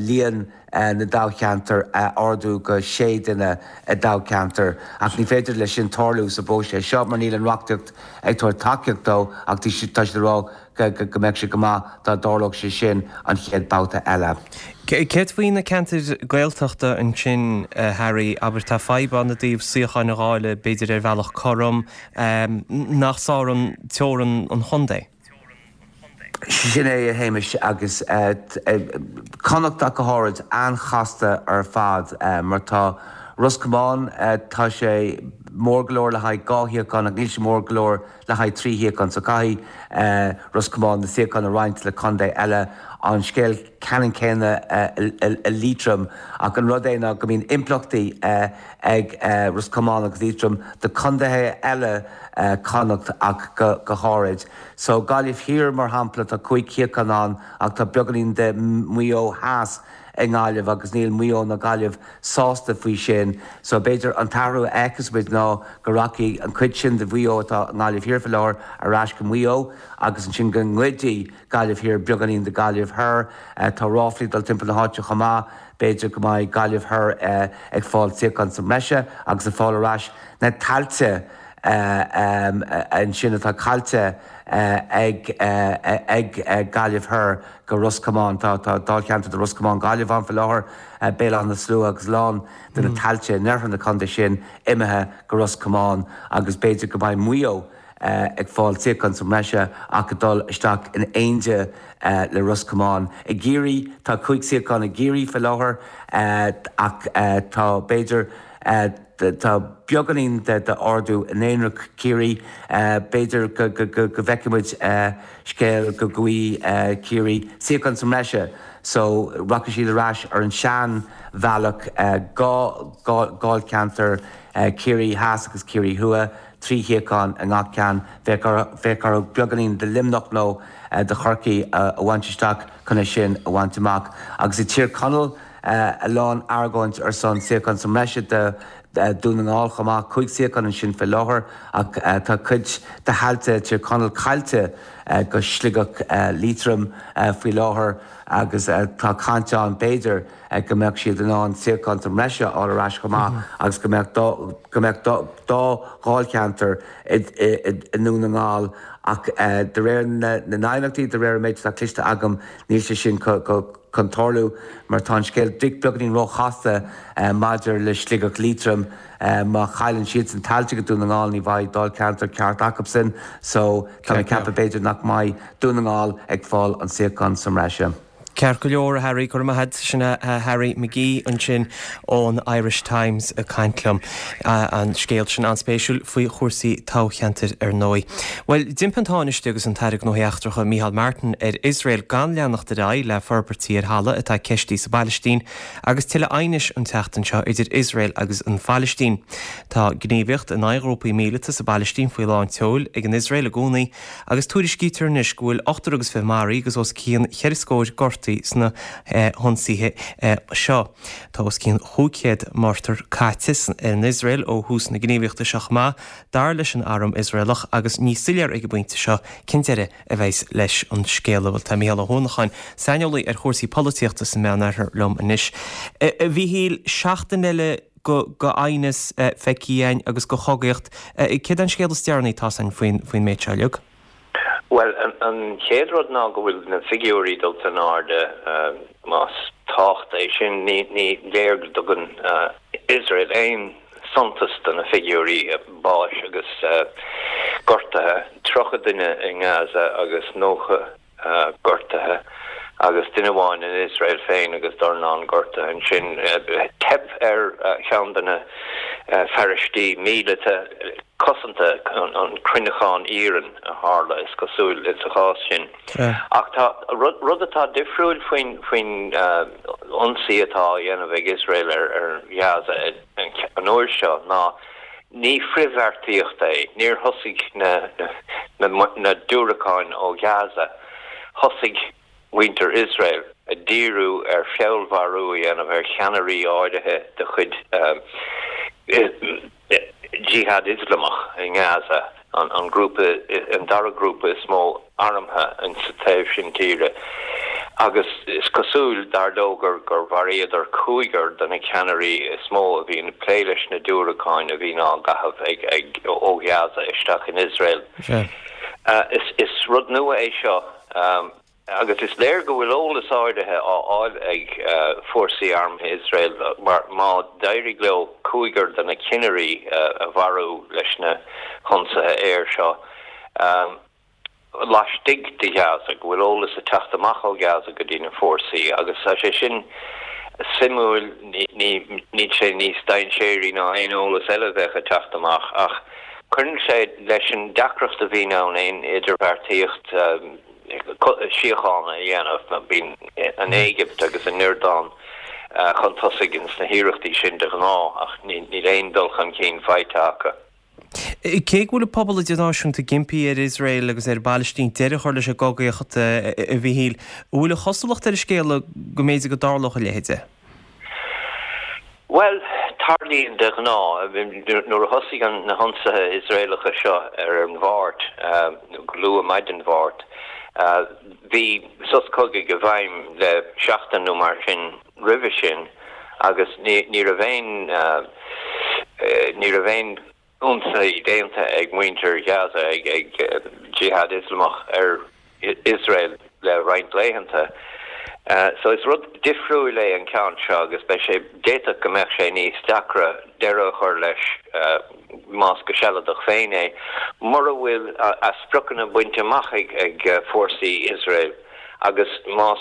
líon na dtoghcheantar a ardú go sé duine i dtoghcheantar. Ach ní féidir leis sin tarlú sa bpróiseas seo mar níl an reachtaíocht ag tabhairt tacaíocht dó ach tá siad ag rá go mbeadh sé go maith dá dtarlódh sé sin an chéad babhta eile. Céard faoi na ceantair Gaeltachta ansin, a Harry? Abair, tá fadhb ann i dtaobh suíocháin a dháileadh, b'fhéidir ar bhealach cothrom, nach sárann teorainn an chontae. Sin é, a Shéamais, agus Connacht ach go háirid, an-chasta ar fad mar tá Ros Comáin, tá sé mór go leor le haghaidh dhá shuíochán ach níl sé mór go leor le haghaidh trí shuíochán so caithfidh Ros Comáin na suíocháin a roinnt le contae eile. An scéal ceannann céanna i Liatroim ach an rud é ná go mbíonn impleachtaí ag Ros Comáin agus Liatroim do chontaetha eile Connacht ach go háirid. So Gaillimh Thiar mar shampla tá cúig shuíochán ann ach tá beagáinín de Mhaigh Eo Theas i nGaillimh agus níl Maigh Eo ná Gaillimh sásta faoi sin so b'fhéidir an t-athrú a fheicfeas muid ná go rachaidh an chuid sin de Mhaigh Eo atá i nGaillimh Thiar faoi láthair ar ais go Maigh Eo agus ansin go ngoidfidh Gaillimh Thiar beagáinín de Ghaillimh Thoir. Tá ráflaí ag dul timpeall na háite chomh maith, b'fhéidir go mbeidh Gaillimh Thoir ag fáil suíochán sa mbreise agus ag fáil ar ais na tailte ansin atá caillte ag ag Gaillimh Thoir go Ros Comáin. Tá dáilcheantar de Ros Comáin Gaillimh ann faoi láthair, Béal Átha na Slua agus a lán de na tailte in oirthear na contae sin imithe go Ros Comáin agus b'fhéidir go mbeidh Maigh Eo ag fáil suíochán sa mbreise ach ag dul isteach in éindí le Ros Comáin. I gCiarraí, tá cúig suíochán i gCiarraí faoi láthair ach tá b'fhéidir Tá beagáinín de ardú i ndaonra Chiarraí. B'fhéidir go bhfeicfidh muid scéal go bhfaighidh Ciarraí suíochán sa mbreise so rachaidh siad ar ais ar an sean bhealach, dhá dháilcheantar, Ciarraí Theas agus Ciarraí Thuaidh, trí shuíochán i ngach ceann. Bheadh orthu beagáinín de Luimneach nó de Chorcaigh a bhaint isteach chun é sin a bhaint amach. Agus i Tír Chonaill, a lán argóint ar son suíochán sa mbreise do Dhún na nGall chomh maith, cúig suíochán ansin faoi láthair ach tá cuid de thailte Tír Chonaill caillte go Sligeach Liatroim faoi láthair agus tá caint ann b'fhéidir go mbeadh siad in ann suíochán sa mbreise a fháil ar ais chomh maith agus go mbeadh go mbeadh dá dháilcheantar i nDún na nGall ach de réir na n-aighneachtaí, de réir an méid atá cloiste agam, níl sé sin chun tarlú mar tá an scéal beagáinín róchasta maidir le Sligeach Liatroim. Má chailleann siadsan tailte go Dún na nGall ní bheidh dáilcheantar ceart acubsan so tá mé ag ceapadh b'fhéidir nach mbeidh Dún na nGall ag fáil an suíochán sa mbreise. Ceart go leor, a Harry, go raibh maith agat. Sin Harry McGee ansin ón Irish Times ag caint liom. An scéal sin an-spéisiúil faoi chúrsaí toghcheantair ar ndóigh. Bhuel, d'impigh an Tánaiste agus an tAire Gnóthaí Eachtracha Micheál Martin ar Iosrael gan leanacht ar aghaidh le forbairtí ar thalamh atá ceistithe sa bPailistín agus tuilleadh aighnis an tseachtain seo idir Iosrael agus an Phailistín. Tá gníomhaíocht in aghaidh ghrúpaí míleata sa bPailistín faoi lán tseoil ag an Iosrael i gcónaí agus tuairiscítear anois go bhfuil ochtar agus fiche maraithe agus os cionn cheithre scór gortaithe sna hionsaithe seo. Tá os cionn chúig chéad mortar caite in Iosrael ó thús na gníomhaíochta seo chomh maith, dar leis an arm Iosraelach, agus ní soiléir ag an bpointe seo cén deireadh a bheas leis an scéal. Bhuel, tá Mícheál Ó hUanacháin, saineolaí ar chúrsaí polaitíochta sa Meánoirthear liom anois. A Mhíchíl, seachtain eile de aighneas feicthe againn agus de chogaíocht. Céard é an scéal is deireanaí atá againn faoin méid seo uilig? Bhuel, an chéad rud ná go bhfuil na figiúirí dulta in airde, más tábhacht é sin. Ní léir go dtugann Iosrael aon suntas do na figiúirí báis agus gortaithe, tríocha duine i nGaza agus nócha gortaithe agus duine amháin in Iosrael féin agus dornán gortaithe ansin. Teip ar cheann de na fearaistí míleata cosanta, an cruinneachán iarainn a tharla, is cosúil, sa chás sin. Ach tá rud atá difriúil faoin faoin ionsaí atá á dhéanamh ag Iosrael ar Ghaza an uair seo ná ní frithbheartaíocht é. Níor thosaigh na na diúracáin ó Ghaza. Thosaigh muintir Iosrael ag díriú ar feallmharú a dhéanamh ar cheannairí áirithe de chuid Jihad Ioslamach i nGaza, an grúpa, an dara grúpa is mó armtha insa taobh sin tíre, agus is cosúil, dar leo, gur gur mharaíodar cúigear de na ceannairí is mó a bhíonn ag plé leis na diúracáin a bhíonn á gcaitheamh ag ag ó Ghaza isteach in Iosrael. Is is rud nua é seo. Agus is léir go bhfuil eolas áirithe á fháil ag fórsaí armtha Iosrael mar má d'éirigh leo cúigear de na cinnirí a mharú leis na hionsaithe aeir seo laistigh de Ghaza, go bhfuil eolas ag teacht amach ó Ghaza go dtí na fórsaí agus tá sé sin suimiúil, níl sé níos dainséaraí ná aon eolas eile a bheadh ag teacht amach ach cuireann sé leis an deacracht a bhíonn ann aon idirbheartaíocht síochána a dhéanamh. Bíonn an Éigipt agus an Iordáin chun tosaigh ins na hiarrachtaí sin de ghnáth ach níl aon dul chun cinn faighte acu. Cé go bhfuil an pobal idirnáisiúnta ag impí ar Iosrael agus ar an bPailistín deireadh a chur leis an gcogaíocht, a Mhíchíl, an bhfuil an chosúlacht ar an scéal go mb'fhéidir go dtarlódh a leithéid? Bhuel, tarlaíonn de ghnáth. Nuair a thosaigh na hionsaithe Iosraelacha seo ar an Mháirt, nó go luath maidin Mháirt, bhí sos cogaidh i bhfeidhm le seachtain nó mar sin roimhe sin agus ní raibh aon, ní raibh aon ionsaí déanta ag muintir Ghaza, ag Jihad Ioslamach ar Iosrael le roinnt laethanta. So is rud difriúil é an ceann seo agus beidh sé, d'fhéadfadh go mbeadh sé níos deacra deireadh a chur leis, más go sealadach féin é, mura bhfuil a spriocanna bainte amach ag fórsaí Iosrael agus más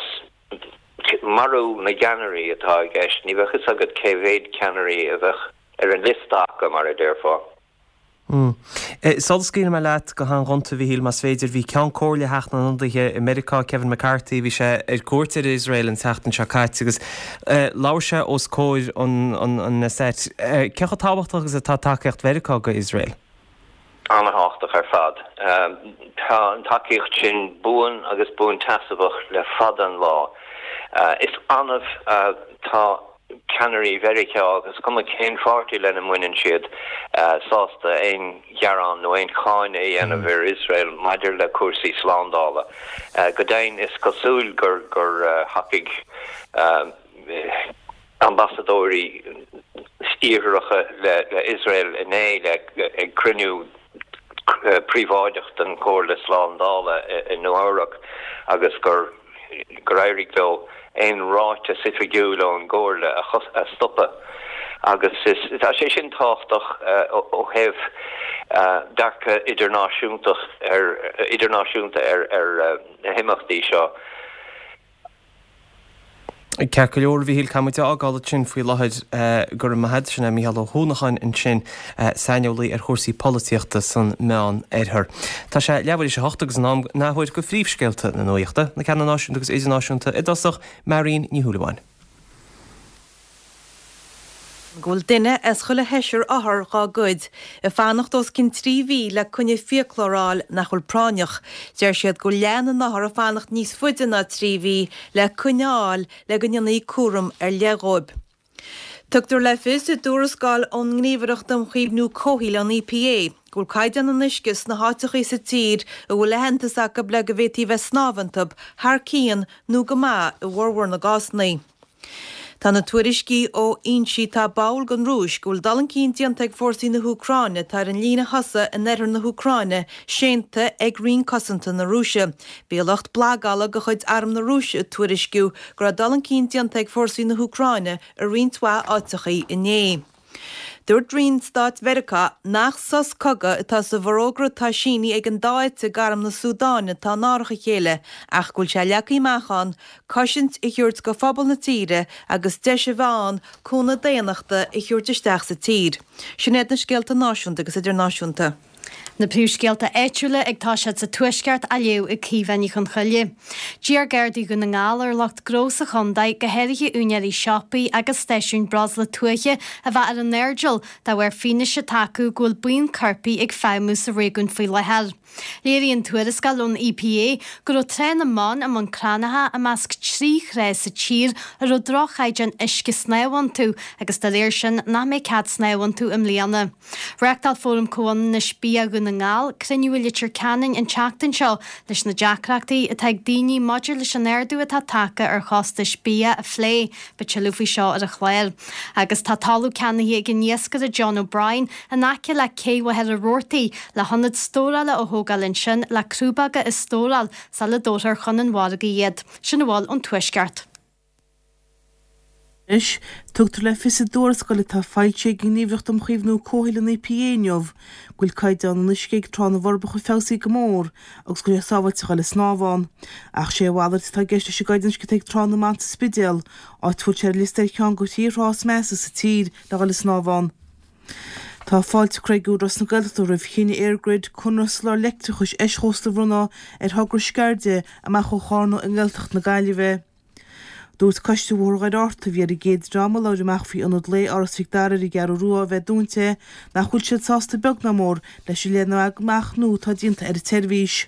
marú na gceannairí atá i gceist, ní bheadh fhios agat cé mhéad ceannairí a bheadh ar an liosta acu, mar a déarfá. Sula scaoilfidh mé leat go han-ghonta, a Mhíchíl, más féidir, bhí Ceann Comhairle Theach na nIonadaithe i Meiriceá, Kevin McCarthy, bhí sé ar cuairt ar Iosrael an tseachtain seo caite agus labhair sé os comhair an Knesset. Cé chomh tábhachtach agus atá tacaíocht Mheiriceá go Iosrael? An-thábhachtach ar fad. Tá an tacaíocht sin buan agus buanseasmhach le fada an lá. Is annamh atá ceannairí Mheiriceá, agus cuma cén pháirtí lena mbaineann siad, sásta aon ghearán nó aon cháineadh a dhéanamh ar Iosrael maidir le cúrsaí slándála. Go deimhin, is cosúil gur thacaigh ambasadóirí iartharacha le Iosrael inné ag cruinniú príobháideach den Chomhairle Slándála i Nua-Eabhrac agus gur gur éirigh leo aon ráiteas oifigiúil ón gComhairle a stopadh agus is tá sé sin tábhachtach ó thaobh dearcadh idirnáisiúntach ar idirnáisiúnta ar ar na himeachtaí seo. Ceart go leor, a Mhíchíl, caithfidh muid a fhágáil ansin faoi láthair. Go raibh maith agat. Sin é Mícheál Ó hUanacháin ansin, saineolaí ar chúrsaí polaitíochta san Meán Oirthear. Tá sé leathuair théis a hocht agus in am an athuair go phríomhscéalta na nuachta, na ceanna náisiúnta agus idirnáisiúnta i dtosach, Marion Ní Shúilleabháin. go bhfuil duine as chuile sheisear othar dhá gcuid ag fanacht os cionn trí mhí le coinne fiaclóir a fháil nach bhfuil práinneach. Deir siad go bhfuil leath na n-othar ag fanacht níos faide ná trí mhí le coinne a fháil le go ndéanfaí cúram ar leith dhóibh. Tugtar le fios i dtuarascáil ón nGníomhaireacht um Chaomhnú Comhshaoil, an EPA, go bhfuil caighdeán an uisce sna háiteachaí sa tír a bhfuil aitheantas acu le go bhféadfaí bheith ag snámh iontu, thar cionn nó go maith i bhformhór na gcásanna. Tá na tuairiscí ó fhoinsí atá báúil don Rúis go bhfuil dul chun cinn déanta ag fórsaí na hÚcráine atá ar an líne thosaigh in oirthear na hÚcráine séanta ag Roinn Cosanta na Rúise. Bhí lucht blagála de chuid Arm na Rúise ag tuairisciú go raibh dul chun cinn déanta ag fórsaí na hÚcráine i roinnt mhaith áiteachaí inné. Dúirt Roinn Stáit Mheiriceá nach sos cogaidh atá sa bhforógra atá sínithe ag an dá eite d'arm na Súdáine atá in árach a chéile ach go bhfuil sé leagtha amach ann cosaint a thabhairt go phobal na tíre agus deis a bheith ann cúnamh daonnachta a thabhairt isteach sa tír. Sin iad na scéalta náisiúnta agus idirnáisiúnta. Na príomhscéalta áitiúla ag toiseacht sa Tuaisceart á léamh ag Caoimhe Ní Chonchoille. D'iarr Gardaí Dhún na nGall ar lucht gnó sa chontae, go háirithe úinéirí siopaí agus stáisiúin breosla tuaithe, a bheith ar a n-airdeall dá bharr fianaise atá acu go bhfuil buíon coirpigh ag feidhmiú sa réigiún faoi láthair. Léiríonn tuarascáil ón EPA go raibh Trá na mBan i mBun Cranncha i measc trí thrá sa tír a raibh droch-chaighdeán uisce snámha iontu agus dá réir sin nach mbeidh cead snámh iontu i mbliana. Reáchtáil Fóram Comhionannais Bia Dhún na nGall cruinniú i Leitir Ceanainn an tseachtain seo leis na deacrachtaí atá ag daoine maidir leis an ardú atá tagtha ar chostais bia a phlé. Beidh tuilleadh faoi seo ar an chlár. Agus tá talamh ceannaithe ag an iascaire John O'Brien in aice le Cé Mhachaire Rabhartaigh le hionad stórála a thógáil ansin le crúbóga a stóráil sula dtabharfar chun an mhargaidh iad. Sin a bhfuil ón Tuaisceart. Anois, tugtar le fios i dtuarascáil atá foilsithe ag an nGníomhaireacht um Chaomhnú Comhshaoil, an EPA, inniu go bhfuil caighdeán an uisce ag Trá na bhForbacha feabhsaithe go mór agus go bhfuil sé sábháilte a dhul ag snámh ann. Ach sé a mhalairt atá i gceist leis an gcaighdeán uisce atá ag Trá na mBan sa Spidéal, áit a bhfuil sé ar liosta ar cheann de thrí thrá is measa sa tír le dhul ag snámh ann. Tá fáilte curtha ag Údarás na Gaeltachta roimh chinneadh EirGrid conradh soláthar leictreachais eischósta a bhronnadh ar thogra Sceirde amach ó Chárna i nGaeltacht na Gaillimhe. Dúirt Coiste Bhóthar Dhoire Fhatharta, a bhí ar an gcéad dream a labhair amach faoi ionad lae Áras Mhic Dara ar an gCeathrú Rua a bheith dúnta, nach bhfuil siad sásta beag ná mór leis an leathnú amach nua atá déanta ar an tseirbhís.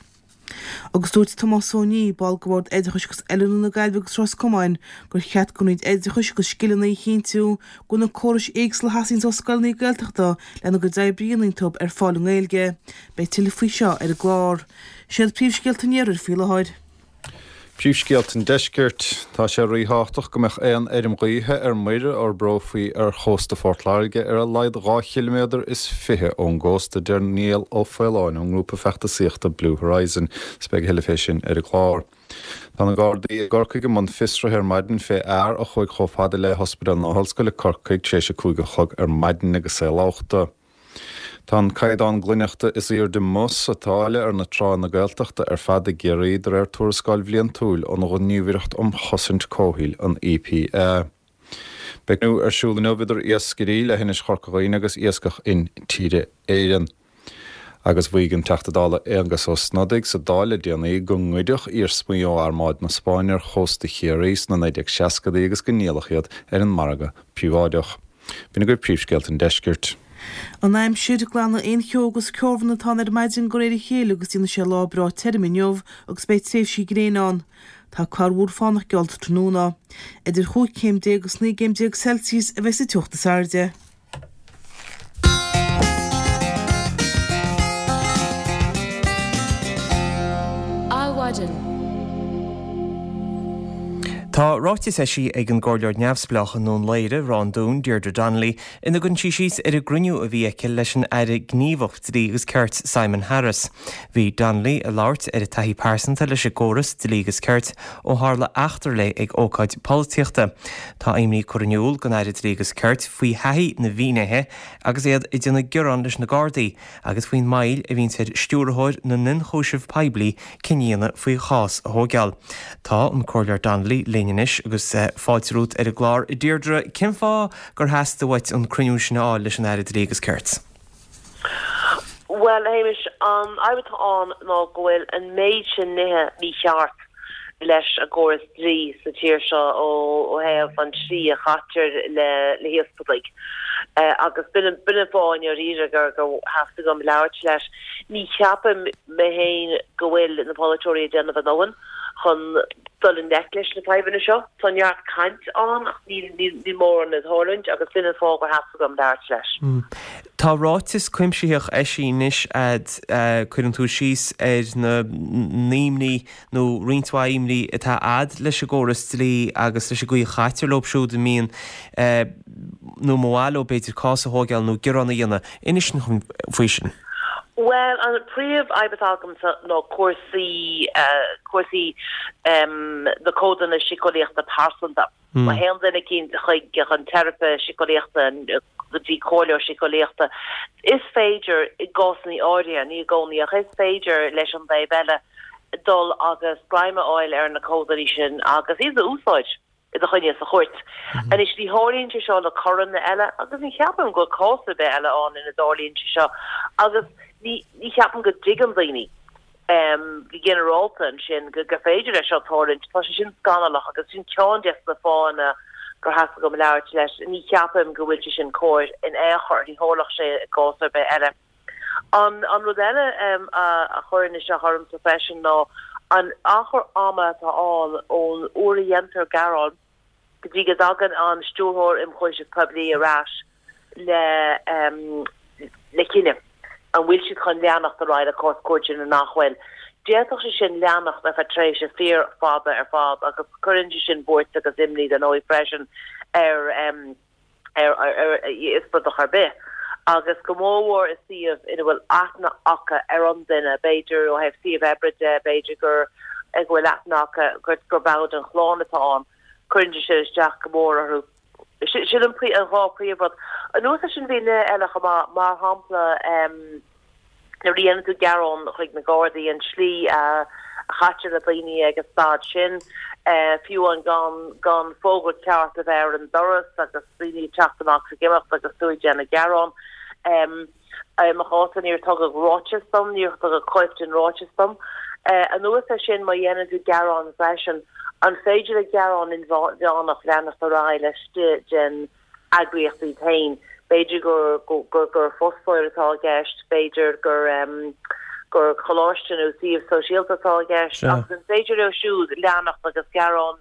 Agus dúirt Tomás Ó Nia, ball de Bhord Oideachais agus Oiliúna na Gaillimhe agus Ros Comáin, gur cheart don Roinn Oideachais agus Scileanna a chinntiú go bhfuil na córais éagsúla a theastaíonns ó scoileanna Gaeltachta lena gcuid oibre a dhéanamh iontu ar fáil i nGaeilge. Beidh tuilleadh faoi seo ar an gclár. Siad príomhscéalta an iarthair faoi láthair. Príomhscéalta an Deiscirt, Tá sé ríthábhachtach go mbeadh aon fheirm ghaoithe ar muir a fhorbrófaí ar chósta Phort Láirge ar a laghad dhá chiliméadar is fiche ón gcósta, a deir Niall Ó Faoláin ón ngrúpa feachtasaíochta Blue Horizon. Is beidh a thuilleadh fé sin ar an gclár. Tá na Gardaí i gCorcaigh i mbun fiosraithe ar maidin fé fhear a chuaigh chomh fada le hOspidéal na hOllscoile, Corcaigh, tar éis a cúig a chlog ar maidin agus é lobhta. Tá an caighdeán glaineachta is airde Mus atá ar na tránna Gaeltachta ar fad i gCiarraí de réir tuarascáil bhliantúil ón Ghníomhaireacht um Chosaint Comhshaoil, an EPA. Beidh cruinniú ar siúl inniu idir iascairí le hInis Chorca Dhuibhne agus Iascach Intíre Éireann. Agus mhaígh an Teachta Dála Aengus Ó Snodaigh sa Dáil le déanaí go ngoideadh iarsmaí ó Armáid na Spáinne ar chósta Chiarraí sna naoi déag seascadaí agus go ndíoladh iad ar an margadh príobháideach. B'in agaibh príomhscéalta an deiscirt. An aimsir, Glanfaidh aon cheo agus ceobhrán atá ann ar maidin de réir a chéile agus déanfaidh sé lá breá tirim inniu agus beidh tréimhsí gréine ann. Tá corrmhúr fánach geallta tráthnóna. Idir chúig chéim déag agus naoi gcéim déag Celsius a bheidh sa teocht is airde. Adhmhaidin. Tá ráiteas eisithe ag an gComhairleoir Neamhspleách i nDún Laoghaire, Ráth an Dúin, Deirdre Donnelly, ina gcuireann sí síos ar an gcruinniú a bhí aici leis an Aire Gníomhach Dlí agus Cirt Simon Harris. Bhí Donnelly ag labhairt ar a taithí pearsanta leis an gcóras dlí agus cirt ó tharla eachtra léi ag ócáid polaitíochta. Tá imní curtha in iúl don Aire Dlí agus Cirt faoi thaithí na bhfinnéithe agus iad ag déanamh gearán leis na Gardaí agus faoin moill a bhíonns ar Stiúrthóir na nIonchúiseamh Poiblí cinneadh a dhéanamh faoi chás a thóigeáil. Tá an Comhairleoir Donnelly linn anois agus fáilte romhat ar an gclár. A Deirdre, cén fáth gur theastaigh uait an cruinniú sin a fháil leis an Aire Dlí agus Cirt? Bhuel, a Shéamais, an fhadhb atá ann ná go bhfuil an méid sin nithe mícheart leis an gcóras dlí sa tír seo ó thaobh an tslí a chaitear le híospartaigh agus b'in an fáth i ndáiríre gur theastaigh uaim labhairt leis. Ní cheapaim mé féin go bhfuil na polaiteoirí ag déanamh a ndóthain chun dul i ngleic leis na fadhbanna seo. Tá neart caint ann ach níl mórán ag tarlúint agus b'in an fáth gur theastaigh uaim labhairt leis. Tá ráiteas cuimsitheach eisithe anois a'd, cuireann tú síos ar na n-imní nó roinnt mhaith imní atá a'd leis an gcóras dlí agus leis an gcaoi a chaitear leo siúd a mbíonn nó mba mhaith leo b'fhéidir cás a thóigeáil nó gearán a dhéanamh. Inis dom faoi sin. Bhuel, an príomh-fhadhb atá agamsa ná cúrsaí, cúrsaí na comhadanna síceolaíochta pearsanta. Má théann duine eicínt chuig chun teiripe síceolaíochta, go dtí comhairleoir síceolaíochta, is féidir, i gcásanna áirithe, ní i gcónaí, ach is féidir leis an dtaobh eile dul agus greim a fháil ar na comhadanna sin agus iad a úsáid i do choinne sa chúirt. Anois, ní tharlaíonn sé seo le coireanna eile agus ní cheapaim go bhfuil cás ar bith eile ann ina dtarlaíonn sé seo agus ní ní cheapaim go dtuigeann daoine go ginearálta ansin go gur féidir leis seo tarlúint. Tá sé sin scannalach agus sin ceann des na fáthanna gur theastaigh uaim labhairt leis. Ní cheapaim go bhfuil sé sin cóir in aon chor, ní tharlódh sé i gcás ar bith eile. An an rud eile a chuireann isteach ormsa freisin ná an achar ama atá ann ón uair a dhéantar gearán go dtí go dtagann an Stiúrthóir Ionchúiseamh Poiblí ar ais le le cinneadh an bhfuil siad chun leanacht ar aghaidh le cás cúirte nó nach bhfuil. D'fhéadfadh sé sin leanacht ar feadh tréimhse fíor fada ar fad agus cuireann sé sin buairt agus imní dar ndóigh freisin ar ar íospartach ar bith, agus go mórmhór i suíomh ina bhfuil aithne acu ar an duine, b'fhéidir ó thaobh suíomh oibre de, b'fhéidir gur go bhfuil aithne acu gur ball den chlann atá ann, cuireann sé sin isteach go mór orthu. Sin an dhá phríomhrud. Anuas air sin bhí nithe eile chomh maith, mar shampla, Nuair a dhéanann tú gearán chuig na Gardaí, an tslí a chaitear le daoine ag an staid sin, fiú amháin gan gan fógra ceart a bheith ar an doras agus daoine ag teacht amach is ag imeacht agus tú ag déanamh gearán. I mo chás-sa níor tugadh ráiteas dom, níor tugadh cóip den ráiteas dom. Anuas air sin, má dhéanann tú gearán freisin, an féidir le gearán inmheánach leanacht ar aghaidh laistigh den eagraíocht iad féin. B'fhéidir gur gur fostóir atá i gceist, b'fhéidir gur gur coláiste nó suíomh sóisialta atá i gceist agus an féidir leo siúd leanacht agus gearán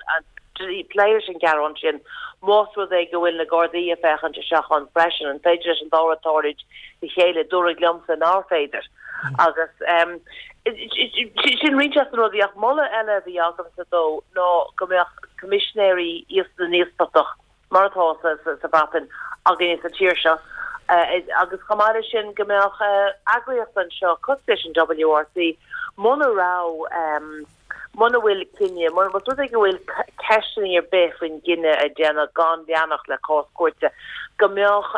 plé leis an ghearán sin más rud é go bhfuil na Gardaí ag féachaint isteach ann freisin, an féidir leis an dá rud tarlúint le chéile? Dúradh liomsa nár féidir agus sin roinnt des na rudaí ach moladh eile a bhí agamsa dó ná go mbeadh coimisinéirí na n-íospartach mar atá sa Bhreatain againne sa tír seo, agus chomh maith leis sin go mbeadh eagraíocht anseo cosúil leis an WRC, muna raibh, muna bhfuil cinneadh, más rud é go bhfuil ceisteanna ar bith faoin gcinneadh a déanadh gan leanacht le cás cúirte, go mbeadh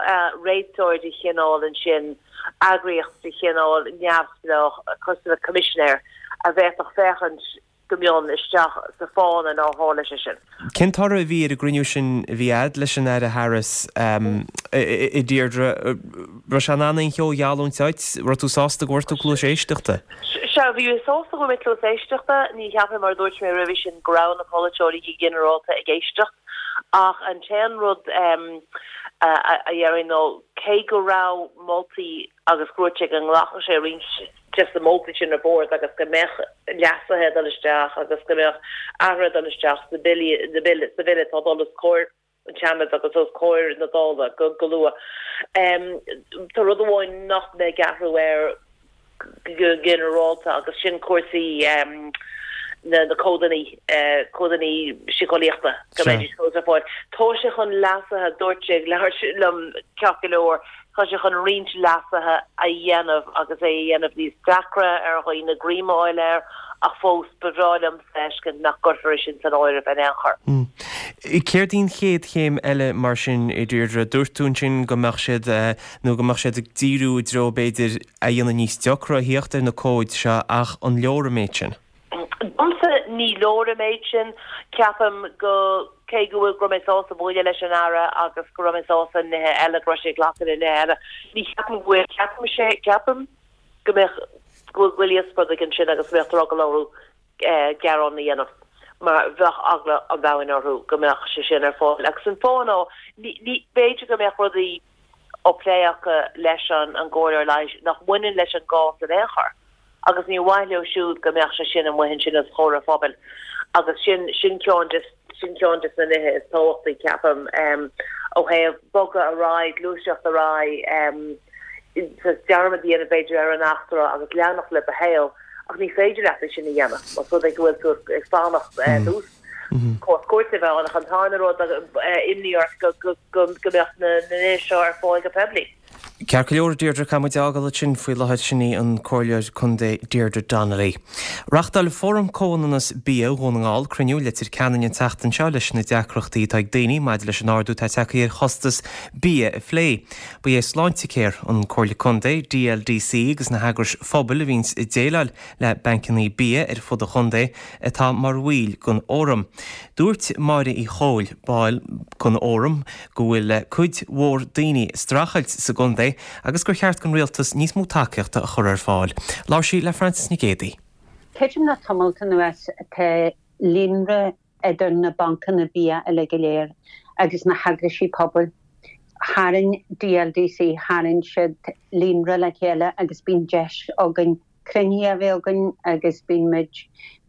réiteoir de chineál ansin, eagraíocht de chineál neamhspleách cosúil le coimisinéir a bhféadfadh féachaint go mion isteach sa fána nár tharla sé sin. Cén toradh a bhí ar an gcruinniú sin a bhí a'd leis an Aire Harris a Deirdre? Raibh sé in ann aon cheo a gheallúint duit? Raibh tú sásta go bhfuair tú cluas éisteachta? Sea, bhí mé sásta go bhfuair mé cluas éisteachta. Ní cheapaim, mar a dúirt mé roimhe sin, go raibh na polaiteoirí go ginearálta ag éisteacht. Ach an t-aon rud a déarfainn ná cé go raibh moltaí agus go dúirt sé go nglacfadh sé roinnt des na moltaí sin ar bord agus go mbeadh leasuithe ag dul isteach agus go mbeadh athruithe ag dul isteach sna billí, na bille, sa bhille atá ag dul os comhair an tSeanaid agus os comhair na Dála go, go luath. Tá rud amháin nach mbeidh athrú air go ginearálta agus sin cúrsaí na na códanna, códanna síceolaíochta go mbeidís fós ar fáil. Tá sé chun leasuithe, dúirt sé, labhair liom ceart go leor, Tá sé chun roinnt leasuithe a dhéanamh agus é a dhéanamh níos deacra ar dhaoine greim a fháil air ach fós ba bhreá liom feiscint nach gcuirfear é sin san áireamh in aon chor. Céard í an chéad chéim eile mar sin, a Deirdre? Dúirt tú ansin go mbeadh siad, nó go mbeadh siad ag díriú i dtreo b'fhéidir a dhéanamh níos deacra a thíocht ar na cóid seo ach an leor an méid sin? Domsa ní leor an méid sin. Ceapaim go, cé go bhfuil, go raibh mé sásta bualadh leis an Aire agus go raibh mé sásta nithe eile, go raibh sé ag glacadh le nithe eile, ní cheapaim go bhfuil, ceapaim sé, ceapaim go mbeadh, go bhfuil goile spraoi ansin agus go mbeadh drogall orthu gearán a dhéanamh mar bheadh eagla an domhain orthu go mbeadh sé sin ar fáil. Agus an fáth ná, ní, ní, b'fhéidir go mbeadh rudaí á plé acu leis an an gcomhairleoir leighis nach mbaineann leis an gcás in aon chor. agus ní mhaith leo siúd go mbeadh sé sin amuigh ansin os comhair an phobail agus sin sin ceann de sin ceann de na nithe is tábhachtaí ceapaim ó thaobh bogadh ar aghaidh, gluaiseacht ar aghaidh, dearmad a dhéanamh b'fhéidir ar an eachtra agus leanacht le do shaol ach ní féidir leat é sin a dhéanamh más rud é go bhfuil tú ag fanacht ar cás cúirte a bheith ann ach an tarna rud imní ort go go go mbeadh na nithe seo ar fáil go poiblí. Ceart go leor, Deirdre, caithfidh muid a fhágáil ansin faoi láthair. Sin í an Comhairleoir Contae Deirdre Donnelly. Reáchtáil Fóram Comhionannas Bia Dhún na nGall cruinniú i Leitir Ceanainn an tseachtain seo leis na deacrachtaí atá ag daoine maidir leis an ardú atá tagtha ar chostas bia a phlé. Ba é Sláintecare, an Comhairle Contae, DLDC agus na heagrais phobail a bhíonns ag déileáil le bancanna bia ar fud an chontae atá mar bhaill den fhóram. Dúirt Máire Uí Chomhaill, ball den fhóram, go bhfuil cuid mhór daoine ag streachailt sa gcontae agus gur cheart don rialtas níos mó tacaíochta a chur ar fáil. Labhair sí le Frances Nic Géadaigh. Creidim le tamalt anuas tá líonra idir na bancanna bia uilig go léir agus na heagraisí pobail. Tharraing DLDC, tharraing siad líonra le chéile agus bíonn deis againn cruinnithe a bheith againn agus bíonn muid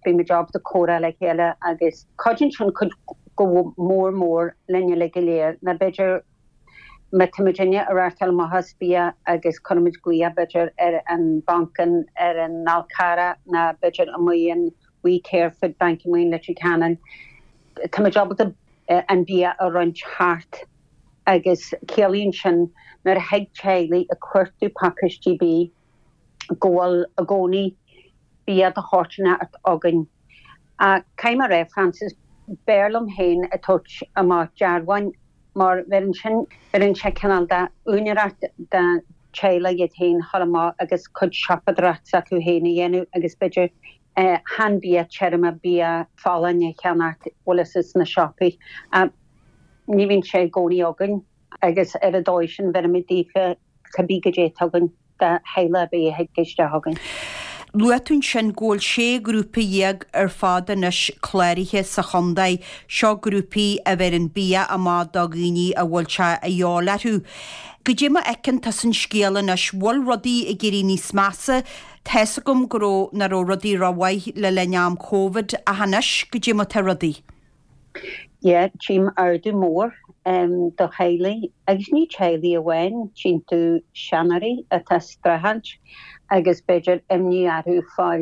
bíonn muid ábalta comhrá le chéile agus cuidíonn sin cuid go mór mór linn uilig go léir nó b'fhéidir má tá muidinne ag reáchtáil amach as bia agus cuirimid glaoch b'fhéidir ar an banc in ar an Fhál Carrach nó b'fhéidir amuigh in We Care Food Bank amuigh in Leitir Ceanainn tá muid ábalta an bia a roinnt thart agus ciallaíonn sin nuair a thig teaghlaigh ag cuartú pacáistí bídh go bhfuil i gcónaí bia de shórt inteacht againn. Caithfidh mé a rá, Frances, b'fhearr liom féin ag tabhairt amach dearbháin mar bheireann sin, bheireann sé cineál de úinéireacht do teaghlaigh iad féin dhul amach agus cuid siopadóireacht s'acu féin a dhéanamh agus b'fhéidir chan bia tirim, bia folláin a cheannacht, bhfuil fhios agat sna siopaí. Ní bhíonn sé i gcónaí againn agus ar an dóigh sin bheirimid daofa cibé goidé atá againn do theaghlach ar bith a thig isteach chugainn. Luaigh tú ansin go bhfuil sé ghrúpa dhéag ar fad anois cláraithe sa chontae. Seo grúpaí a bheireann bia amach do dhaoine a bhfuil sé a dhíobháil orthu. Goidé mar a fheiceann tusa an scéal anois, bhfuil rudaí ag éirí níos measa? Tá's agam go raibh, nach raibh rudaí rómhaith le linn am Covid ach anois, goidé mar tá rudaí? Yeah, tchím ardú mór do theaghlaigh, agus ní teaghlaigh amháin, tchíonn tú seanóirí atá ag streachailt agus b'fhéidir imní orthu fá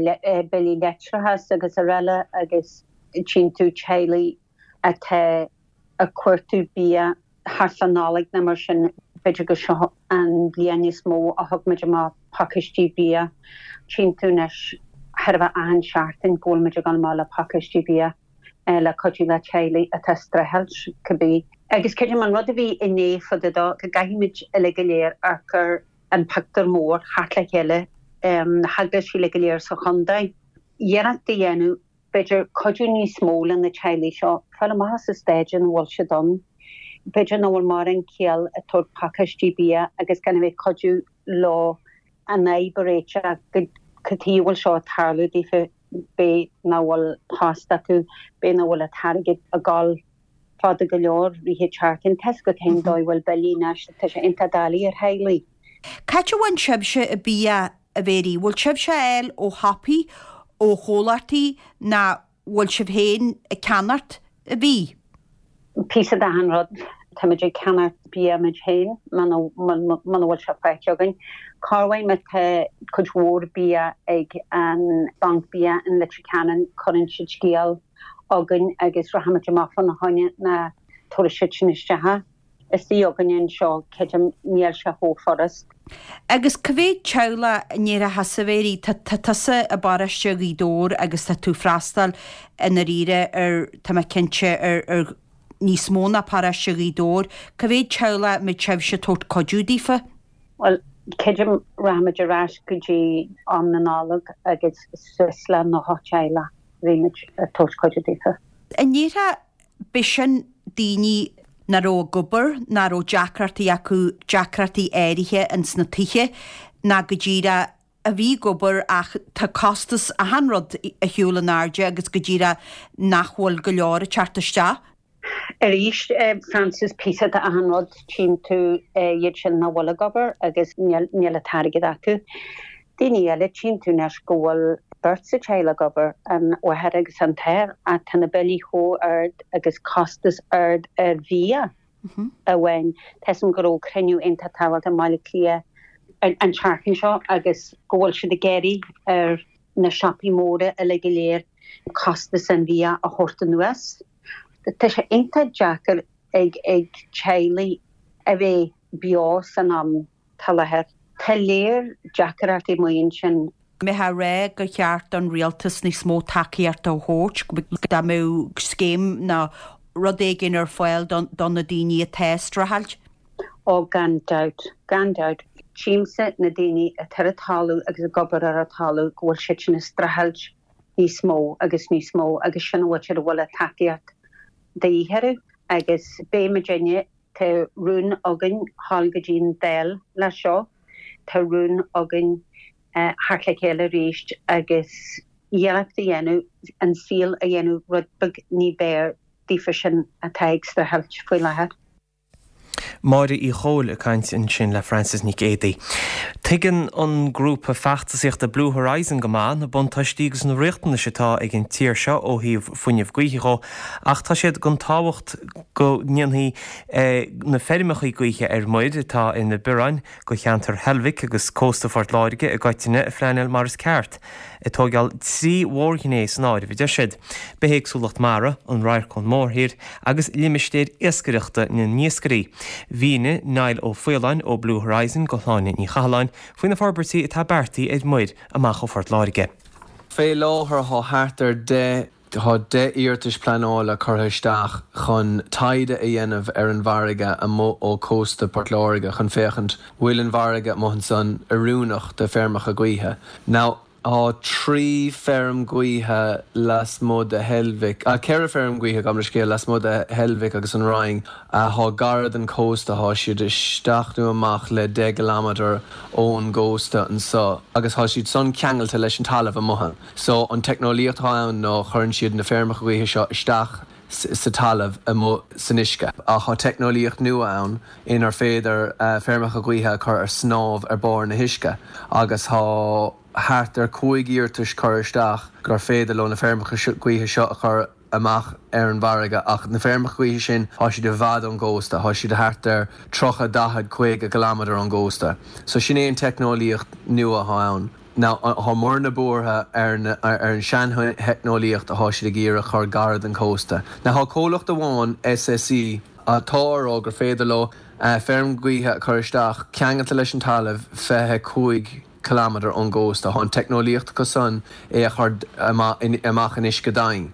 billí leictreachais agus araile agus tchíonn tú teaghlaigh atá ag cuartú bia thart fá Nollaig nó mar sin, b'fhéidir go seo an bhliain is mó a thug muid amach pacáistí bia. Tchíonn tú anois chóir a bheith achan seachtain go bhfuil muid ag dul amach le pacáistí bia. le cuidiú le teaghlaigh atá ag streachailt, cibé. Agus creidim an rud a bhí inné fá dtaobh dó, go gcaithfimid uilig go léir amharc ar an pictiúr mór theacht le chéile, na heaglaisí uilig go léir sa chontae, iarracht a dhéanamh B'fhéidir cuidiú níos mó le na teaghlaigh seo fáil amach as an staid ina bhfuil siad ann. B'fhéidir nach bhfuil mórán ciall ag tabhairt pacáistí bia agus gan a bheith ag cuidiú leo an fhadhb a réiteach go cad chuige a bhfuil seo ag tarlú daofa, b'fhéidir nach bhfuil post acu, b'fhéidir nach bhfuil an t-airgead ag dul fada go leor rith an tseachtain. Tá 'fhios agat féin dóigh a bhfuil billí anois, tá sé iontach doiligh ar theaghlaigh. Cá háit a bhfaigheann sibhse an bia a Mhéirí? Bhfuil sibhse á fháil ó shiopaí, ó chomhlachtaí ná bhfuil sibh féin ag ceannacht an bhídh? Píosa d'achan rud. Táimid ag ceannacht bia muid féin muna bhfuil sé faighte againn. Corruair má tá cuid mhór bia ag an Banc Bia in Leitir Ceanainn cuireann siad scéal chugainn agus rachaimid amach fána choinne ná tabharfaidh siad sin isteach é. Istigh againne anseo, creidim, níl sé chomh furast. Agus cá mhéad teaghlach i ndeireadh thusa, a Mhéirí, tá tusa i bparóiste Ghaoth Dobhair agus tá tú ag freastal i ndáiríre ar, tá mé cinnte, ar, ar níos mó ná paróiste Ghaoth Dobhair. Cá mhéad teaghlach a mbeidh sibhse ag tabhairt cuidiú daofa? Bhuel, creidim, rachaimid ar ais go dtí am na Nollag agus suas le nócha teaghlach a bhí muid ag tabhairt cuidiú daofa. An ndéarfá, b'shin daoine nach raibh ag obair, nach raibh deacrachtaí acu, deacrachtaí áirithe ins na tithe, ná go díreach a bhí ag obair ach tá costas achan rud ar shiúl in airde agus go díreach nach bhfuil go leor ag teacht isteach. Arís, Frances, píosa de achan rud, tchíonn tú iad sin nach bhfuil ag obair agus níl an t-airgead acu. Daoine eile, tchíonn tú anois go bhfuil beirt sa teaghlach ag obair, an mháthair agus an t-athair, ach tá na billí chomh ard agus costas ard ar bhia amháin. Tá 'fhios a'm go raibh cruinniú iontach tábhachtach i mBaile Átha Cliath an tseachtain seo agus go bhfuil siad ag iarraidh ar na siopaí móra uilig go léir costas an bhia a thabhairt anuas. Tá sé iontach deacair ag ag teaghlaigh a bheith beo san am atá i láthair. Tá léir deacrachtaí amuigh ansin. Mbeifeá ag rá gur cheart don rialtas níos mó tacaíochta a thabhairt, dá mbeadh scéim nó rud éigin ar fáil do na daoine atá ag streachailt? Ó gan dabht, gan dabht. Tchímse na daoine atá ar an talamh agus ag obair ar an talamh go bhfuil siad sin ag streachailt níos mó agus níos mó agus sin an mhuintir a bhfuil an tacaíocht de dhíth orthu agus beidh muidinne, tá rún againn dhul go dtí an Dáil leis seo, tá rún againn theacht le chéile arís agus iarracht a dhéanamh an saol a dhéanamh rud beag ní b'fhearr daofa sin atá ag streachailt faoi láthair. Máire Uí Chomhaill ag caint ansin le Frances Nic Éadaigh. Tuigeann an grúpa feachtasaíochta Blue Horizon go maith na buntáistí agus na riachtanais atá ag an tír seo ó thaobh fuinneamh gaoithe dhó ach tá siad den tábhacht go ndéanfaí na feirmeacha gaoithe ar muir atá ina bioráin go cheantar Heilbhic agus cósta Phort Láirge i gcoitinne a phleanáil mar is ceart, ag tógáil trí mhórghné san áireamh, a deir siad, bithéagsúlacht mara, an radharc ón mórthír agus limistéir iascaireachta na n-iascairí. Mhínigh Niall Ó Faoláin ó Blue Horizon go Shláine Ní Chathalláin faoi na forbairtí atá beartaithe ar muir amach ó Phort Láirge. Fé láthair tá thart ar deich Tá deich iarratais pleanála curtha isteach chun taighde a dhéanamh ar an bhfarraige amuigh ó chósta Port Láirge chun féachaint bhfuil an bhfarraige amuigh ansan oiriúnach do feirmeacha gaoithe. Now tá trí feirm gaoithe lasmuigh de Heilbhic, ceithre feirm gaoithe gabh mo leithscéal, lasmuigh de Heilbhic agus an Rinn athá gar don chósta, thá siad isteach nó amach le deich gcileamadar ón gcósta anso agus thá siad san ceangailte leis an talamh amuigh. So an teicneolaíocht atá ann ná chuireann siad na feirmeacha gaoithe seo isteach sa talamh amuigh san uisce. Ach thá teicneolaíocht nua ann inar féidir feirmeacha gaoithe a chur ar snámh ar barr na huisce agus thá thart ar cúig iarratais curtha isteach gur féidir leo na feirmeacha gaoithe seo a chur amach ar an bhfarraige ach na feirmeacha gaoithe sin thá siad i bhfad ón gcósta, thá siad thart ar tríocha, daichead, caoga ciliméadar ón gcósta. So sin é an teicneolaíocht nua athá ann. Now thá muidne buartha ar ar an sean-theicneolaíocht athá siad ag iarraidh a chur gar don chósta. Now thá comhlacht amháin, SSE, atá a rá gur féidir leo feirm gaoithe a chur isteach ceangailte leis an talamh fiche cúig ciliméadar ón gcósta. Thá an teicneolaíocht acu san é a chur amach in uisce domhain.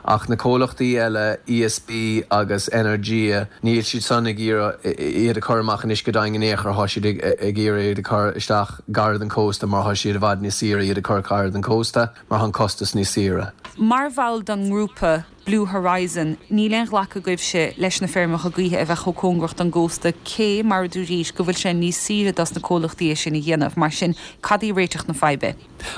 Ach na comhlachtaí eile, E S B agus Energia, níl siad san ag iarraidh iad a chur amach in uisce daingean in aon chor. Tá siad ag iarraidh iad a chur isteach gar don cósta mar tá siad i bhfad níos saoire iad a chur gar don cósta mar tá an costas níos saoire. Mar bhall den ngrúpa Blue Horizon, níl aon ghlacadh agaibhse leis na feirmeacha gaoithe a bheith chomh cóngarach don gcósta, cé mar a dúraís go bhfuil sé níos saoire dos na comhlachtaí é sin a dhéanamh. Mar sin, cad í réiteach na faidhbe?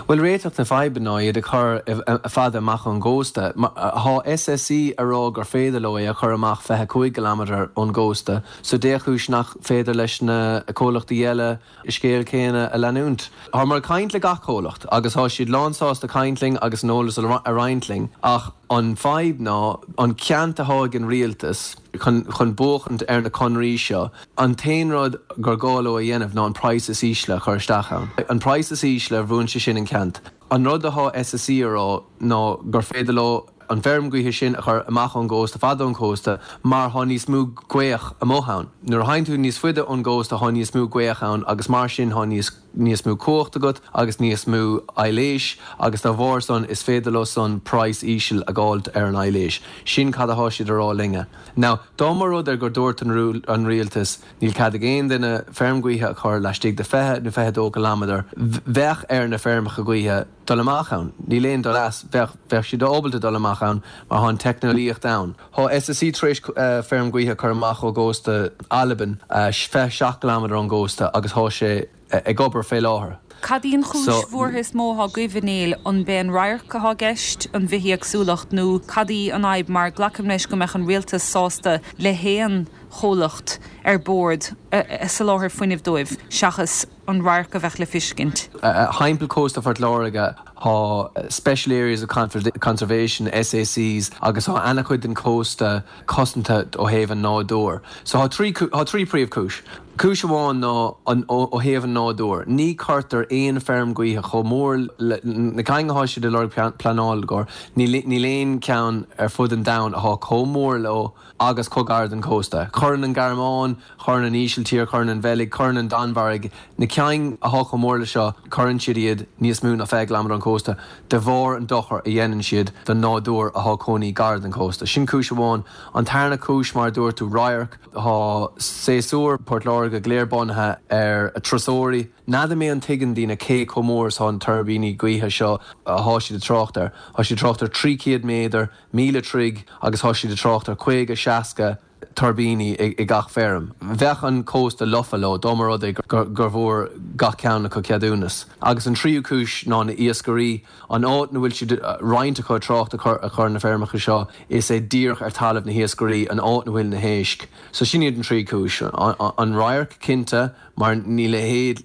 Well, réiteach na faidhbe ná iad a chur fada amach ón gcósta. Tá S S E a rá gur féidir leo é a chur amach fiche cúig kilometre ón gcósta, so dé chúis nach féidir leis na comhlachtaí eile scéal céanna a leanúint. Tá muid ag caint le gach comhlacht agus tá siad lánsásta caint linn agus an eolas a roinnt linn, ach an fadhb ná an ceant atá ag an rialtas chun chun buachaint ar na conraí seo, an t-aon rud gur gá leo a dhéanamh ná an price is ísle a chur isteach ann. An price is ísle, bhuann sé sin an ceant. An rud atá S S E a rá ná gur féidir leo an feirm gaoithe sin a chur amach ón gcósta, fada ón cósta, mar tá níos mó gaoth amuigh ann. Nuair a théann tú níos faide ón gcósta, tá níos mó gaoth ann agus mar sin tá níos níos mó cumhacht agat agus níos mó aibhléis agus dá bharr san is féidir leo san price íseal a fháilt ar an aibhléis. Sin cad atá siad a rá linne. Now, dá mba rud é gur dúirt an, an rialtas níl cead ag aon duine feirm gaoithe a chur laistigh de fiche nó fiche dó kilometre, bheadh ar na feirmeacha gaoithe dul amach ann. Níl aon dul as, bheadh bheadh siad ábalta dul amach ann mar tá an teicneolaíocht ann. Tá S S E tar éis uh, feirm gaoithe chur amach ó gcósta Albain uh, fiche seacht kilometre ón gcósta agus tá sé uh, ag obair fé láthair. Cad í an chúis so, bhuartha is mó atá agaibh, a Néill? An é an radharc atá i gceist, an bhithéagsúlacht, nó cad í an fhadhb, mar glacaim leis go mbeadh an rialtas sásta le haon chomhlacht ar bord a soláthar fuinnimh dóibh seachas an radharc a bheith le feiscint. Timpeall cósta Phort Láirge tá Special Areas of Conservation, S A Cs, agus tá an-chuid den cósta cosanta ó thaobh an nádúr. So tá trí trí príomhchúis. Cúis amháin ná an ó thaobh an nádúr. Ní chuirtear aon feirm gaoithe chomh mór na cinn atá siad ag lorg pleanáil gur níl aon ceann ar fud an domhain atá chomh mór leo agus chomh gar don cósta. Cuireann an Ghearmáin, chuireann an Ísiltír, chuireann an Bheilg, chuireann an Danmhairg, na cinn atá chomh mór le seo, cuireann siad iad níos mó ná fiche kilometre ón cósta de bharr an dochar a dhéanann siad don nádúr atá cónaí gar don cósta. Sin cúis amháin. An tarna cúis, mar dúirt tú, radharc. Tá séasúr Port Láirge go léir bunaithe ar turasóirí. N'fheadar mé an dtuigeann daoine cé chomh mór is atá an tuirbíní gaoithe seo atá siad ag trácht air. Tá siad trácht ar trí chéad méadar, míle troigh, agus tá siad ag trácht ar caoga seasca tuirbíní i, i gach feirm. Bheadh an cósta lofa leo dá mba rud é gur, gur bhfuair gach ceann acu ceadúnas. Agus an tríú cúis ná na iascairí. An áit na bhfuil siad roinnt acu trácht a chur a chur na feirmeacha seo, is é díreach ar talamh na hiascairí, an áit na bhfuil na héisc. So sin iad an trí cúis. An radharc cinnte, mar níl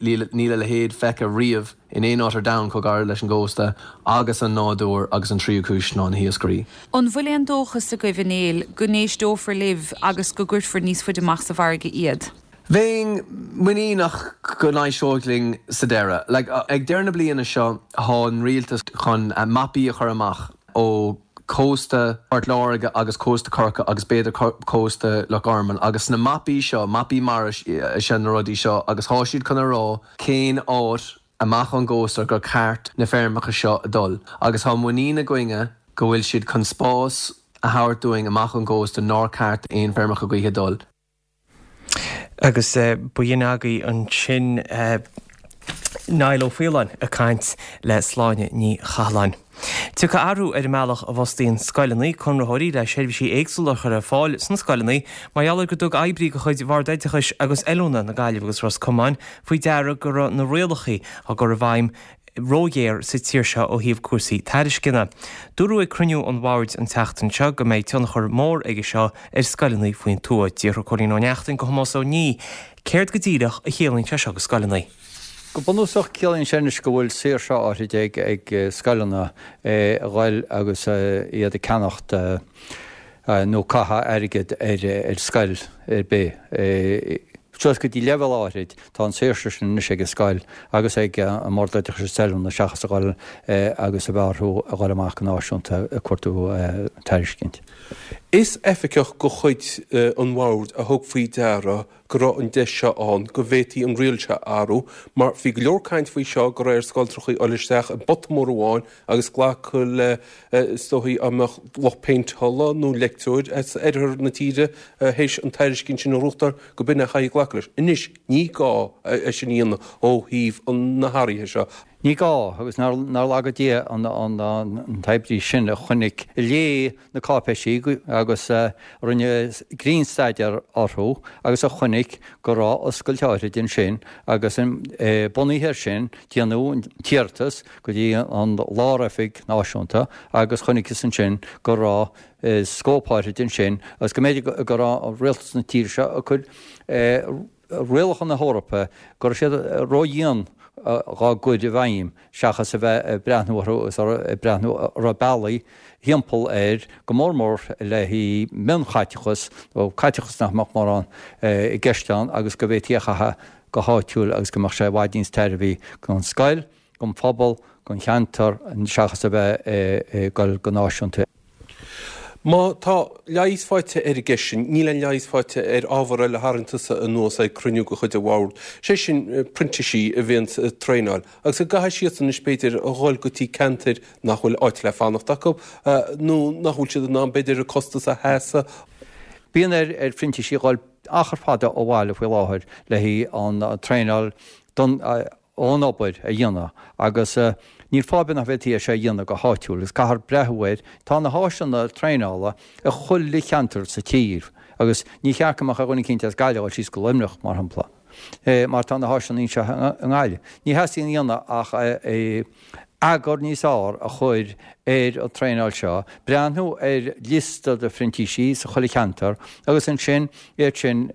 níl a leithéid feicthe riamh in aon áit ar domhan chomh gar leis an gcósta, agus an nádúr, agus an tríú cúis ná na hiascairí. An bhfuil aon dóchas agaibh, a Néill, go n-éisteofar libh agus go gcuirfear níos faide amach sa bhfarraige iad? Bheinn muiníneach go n-éisteoidh linn sa deireadh. Like, ag deireadh na bliana seo tá an rialtas chun uh, mapaí a chur amach ó cósta Port Láirge agus cósta Chorcaí agus b'fhéidir cósta Loch Garman, agus na mapaí seo, mapaí mara sin, na rudaí seo, agus tá siad chun a rá cén áit amach an gcósta gur ceart na feirmeacha seo a dul. Agus tá muinín againne go bhfuil siad chun spás a thabhairt dúinn amach an gcósta nár ceart aon feirmeacha gaoithe dul. Agus uh, b'in agaibh ansin uh, Niall Ó Faoláin ag caint le Sláine Ní Chathalláin. Tiocfaidh athrú ar an mbealach a bhfostaíonn scoileanna conraitheoirí le seirbhísí éagsúla a chur ar fáil sna scoileanna mar gheall go dtug oibrí de chuid Bhord Oideachais agus Oiliúna na Gaillimhe agus Ros Comáin faoi deara go raibh na rialacha á gcur i bhfeidhm róghéar sa tír seo ó thaobh cúrsaí tairisceana. Dúradh ag cruinniú an bhoird an tseachtain seo go mbeidh tionchar mór aige seo ar scoileanna faoin tuath. D'fhiafraigh Cóilín Ó Neachtain de Thomás Ó Niaidh, céard go díreach a chiallaíonn sé seo do scoileanna. Go bunúsach ciallaíonn sé anois go bhfuil saoirse áirid ag ag scoileanna a dhul agus iad ag ceannacht nó caitheamh airgead ar ar scoil ar bith. Suas go dtí leibhéal áirid tá an saoirse sin anois ag an scoil agus ag an mBord Oideachais Oiliúna seachas a dhul agus a bheith orthu a dhul amach go náisiúnta ag cuartú tairiscint. Is oifigeach de chuid an bhoird a thug faoi deara go raibh an deis seo ann go bhféadfaí an riail seo a athrú mar bhí go leor caint faoi seo go raibh ar scoilteachaí dul isteach i bpota mór amháin agus glacadh le is dóichí dá mbeadh lucht péinteála nó leictreoir as oirthear na tíre théis an tairiscint sin a ghnóthachtáil go b'in a chaithfí glacadh leis. Anois ní gá é sin a dhéanamh ó thaobh na hathruithe seo. Ní gá, agus nár laga Dia an t-oibrí sin a chonaic, a léigh na cáipéisí agus a rinne grinnstaidéar orthu agus a chonaic go raibh oscailt áithrid ansin agus bunaithe air sin déanadh an t-iarratas go dtí an Lár-Oifig Náisiúnta agus chonacthas ansin go raibh scóip áithrid ansin agus go mb'fhéidir go raibh rialtas na tíre seo ag cur rialacha na hEorpa, go raibh siad ródhian dhá gcur i bhfeidhm seachas a bheith ag breathnú orthu agus ag breathnú an raibh bealaí thimpeall air, go mór mór le haghaidh mionchaiteachas nó caiteachas nach mbeadh mórán i gceist ann agus go bhféadfaí a chaitheamh go háitiúil agus go mbeadh sé i bhfad níos tairbhí don scoil, don phobal, don cheantar seachas a bheith ag dul go náisiúnta. Má tá leigheas faighte ar an gceist sin, níl aon leigheas faighte ar ábhar eile a tharraing tusa anuas ag cruinniú de chuid an bhoird, sé sin printísigh a bhíonns ag traenáil agus go gcaithfidh siadsan anois b'fhéidir a dhul go dtí ceantair nach bhfuil áit le fanacht acu nó nach bhfuil siad in ann b'fhéidir an costas a sheasamh. Bíonn ar phrintísigh a dhul achar fada ó bhaile faoi láthair le haghaidh an traenáil don ón obair a dhéanamh agus níl fáth ar bith nach bhféadfaí é seo a dhéanamh go háitiúil agus caithfear breathnú air. Tá na háiseanna traenála i chuile cheantar sa tír agus ní cheart go mbeadh ar dhuine eicínt as Gaillimh a dhul síos go Luimneach, mar shampla, mar tá na háiseanna anseo i nGaillimh. Ní theastaíonn a dhéanamh ach eagar níos fearr a chur ar an traenáil seo, breathnú ar liosta de phrintísigh sa chuile cheantar agus ansin iad sin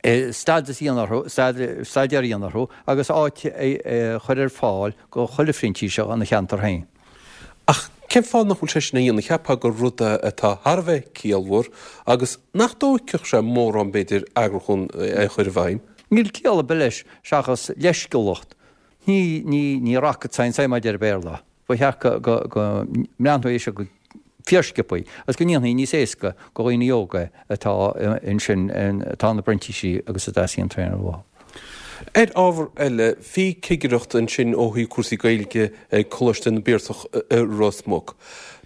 a stádas a dhéanamh orthu, staidéar a dhéanamh orthu agus áit a chur ar fáil go chuile phrintíseach ina cheantar féin. Ach cén fáth nach bhfuil sé sin á dhéanamh? Cheapfá gur rud é atá thar a bheith ciallmhar agus nach dtóigfeadh sé mórán b'fhéidir eagrúchán é a chur i bhfeidhm. Níl ciall ar bith leis seachas leithsciúlacht. Ní, ní, ní rocket science é mar a deir an Béarla. Ba cheart go, go, go mbreathnófaí air seo go fíorsciobtha agus go ndéanfaí níos éasca go dhaoine óga atá ansin, atá ina bprintísigh agus a dteastaíonn traenáil uathu. Ar ábhar eile, bhí cigireacht ansin ó thaobh cúrsaí Gaeilge ag Coláiste na bPiarsach i Ros Muc.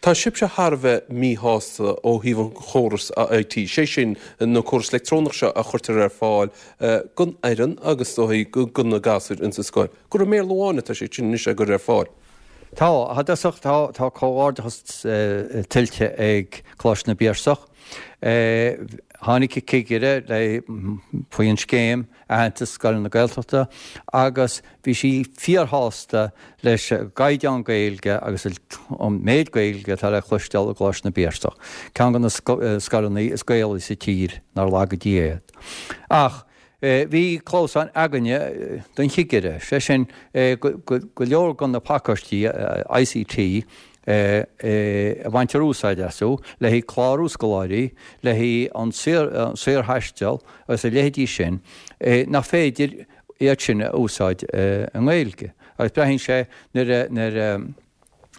Tá sibhse thar a bheith míshásta ó thaobh an chórais I T, sé sin na córas leictreonach seo a chuirtear ar fáil don fhoireann agus ó thaobh do na gasúir insa scoil, gur i mBéarla amháin atá sé sin anois á gcur ar fáil. Tá, i dtosach, tá, tá comhghairdeachas tuillte ag Coláiste na bPiarsach. Tháinig an cigire le faoin scéim aitheantas Scoileanna Gaeltachta agus bhí sí fíorshásta leis an gcaighdeán Gaeilge agus an méid Gaeilge atá le cloisteáil i gColáiste na bPiarsach, ceann de na scoileanna is Gaelaí sa tír, nár laga Dia iad. Ach Bhí clamhsán againne don chigire, sé sin go leor de na pacáistí I C T a bhaintear úsáid astu le haghaidh clárú scoláirí, le haghaidh an saorthaisteal agus a leithéidí sin, nach féidir iad sin a úsáid i nGaeilge. Agus braitheann sé nuair a.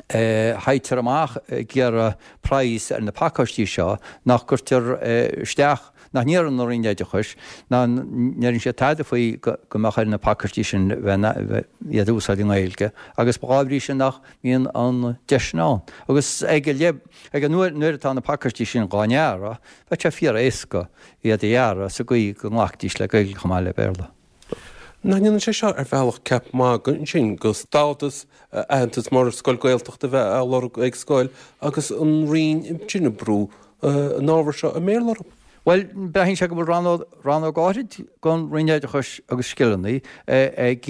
théitear amach ag iarraidh praghas ar na pacáistí seo nach gcuirtear isteach, nach n-iarrann an Roinn Oideachais, ná ndeireann siad tada faoi go mbeadh ar na pacáistí sin bheith iad a úsáid i nGaeilge agus dá bhrí sin nach mbíonn an deis sin ann. Agus ag an uair nuair atá na pacáistí sin dhá ndearadh, bheadh sé fíor-éasca iad a dhearadh sa gcaoi go nglacfaidís le Gaeilge chomh maith le Béarla. Nach ndéanann sé seo ar bhealach ceap magaidh ansin go stádas aitheantas mar scoil Gaeltachta a bheith á lorg ag scoil agus an Roinn sin ag brú an ábhar seo i mBéarla orthu? Bhuel, braitheann sé go bhfuil rannóg, rannóg áithrid den Roinn Oideachais agus Scileanna ag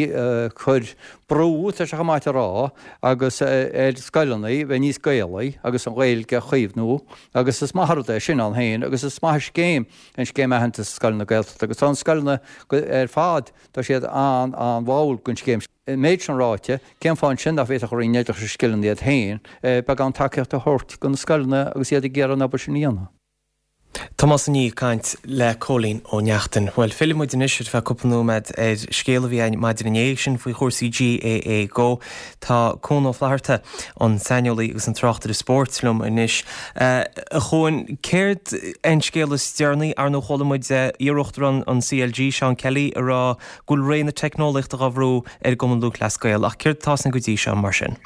cur brú, tá sé chomh maith a rá, agus ar scoileanna bheith níos Gaelaí agus an Ghaeilge a chaomhnú agus is maith an rud é sin ann féin agus is maith an scéim an Scéim Aitheantais Scoileanna Gaeltachta agus tá na scoileanna ar fad, tá siad an-an-bháúil den scéim. An méid sin ráite, cén fáth ansin nach bhféadfadh an Roinn Oideachais agus Scileanna iad féin beagán tacaíocht a thabhairt do na scoileanna agus iad ag iarraidh an obair sin a dhéanamh? Tomás Ó Niaidh ag caint le Cóilín Ó Neachtain. Bhuel, fillfidh muid anois ar feadh cúpla nóiméad ar scéal a bhí ann maidin inné, sin faoi chúrsaí GAA Go. Tá Cuan Ó Flatharta, an saineolaí agus an tráchtaire spóirt liom anois. A Chuain, céard é an scéal is deireanaí? Ar ndóigh chuala muid iar-uachtarán an CLG, Seán Kelly, ag rá go bhfuil ré na teicneolaíochta dhá bhrú ar an gCumann Lúthchleas Gael, ach céard atá ann go dtí seo mar sin?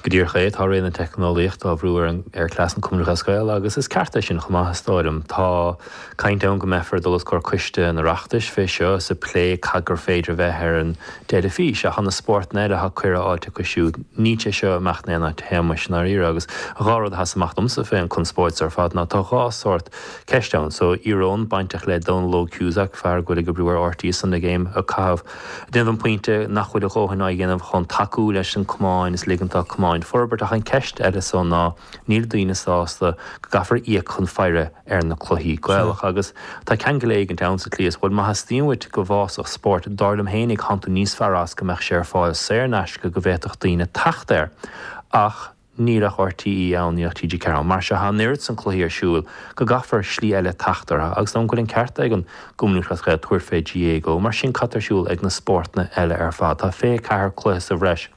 Go díreach é, tá ré na teicneolaíochta á bhrú ar ar chleas an Chumainn Lúthchleas Gael agus is ceart é sin chomh maith is dóigh liom. Tá caint ann go mbeifear ag dul os comhair coiste an Oireachtais fé seo is ag plé cad gur féidir a bheith ar an dteilifís ach tá na spórtanna eile atá cuireadh fháilte acu siúd. Níl sé seo ag imeacht in aon áit a Shéamais i ndáiríre agus dhá rud a sheas amach domsa fé an conspóid so ar fad ná tá dhá sórt ceist ann. So íoróin bainteach le Dónal Óg Cusack, fear go bhfuil ag oibriú ar RTÉ Sunday Game ag caitheamh ag déanamh an pointe nach bhfuil a dhóthain á dhéanamh chun tacú leis an cumann is ligean dá cumainn forbairt ach an ceist eile so ná níl daoine sásta go gcaithfear íoc chun faire ar na cluichí Gaelacha agus tá ceangal éigint ann sa tslí is bhuel má theastaíonn uait go bhfásfadh spórt dar liom fhéinig thánn tú níos fearr as go mbeadh sé ar fáil saor in aisce go bhféadfadh daoine teacht air ach níl ach RTÉ ann, níl ach TG Ceathair ann. Mar seo, tá an oiread san cluichí ar siúl go gcaithfear slí eile teacht orthu agus dóigh liom go bhfuil an ceart ag an gCumann Lúthchleas Gael tabhairt fé GAA Go. Mar sin, cad tá ar siúl ag na spórtanna eile ar fad? Tá fiche ceathair cluiche sa bhreis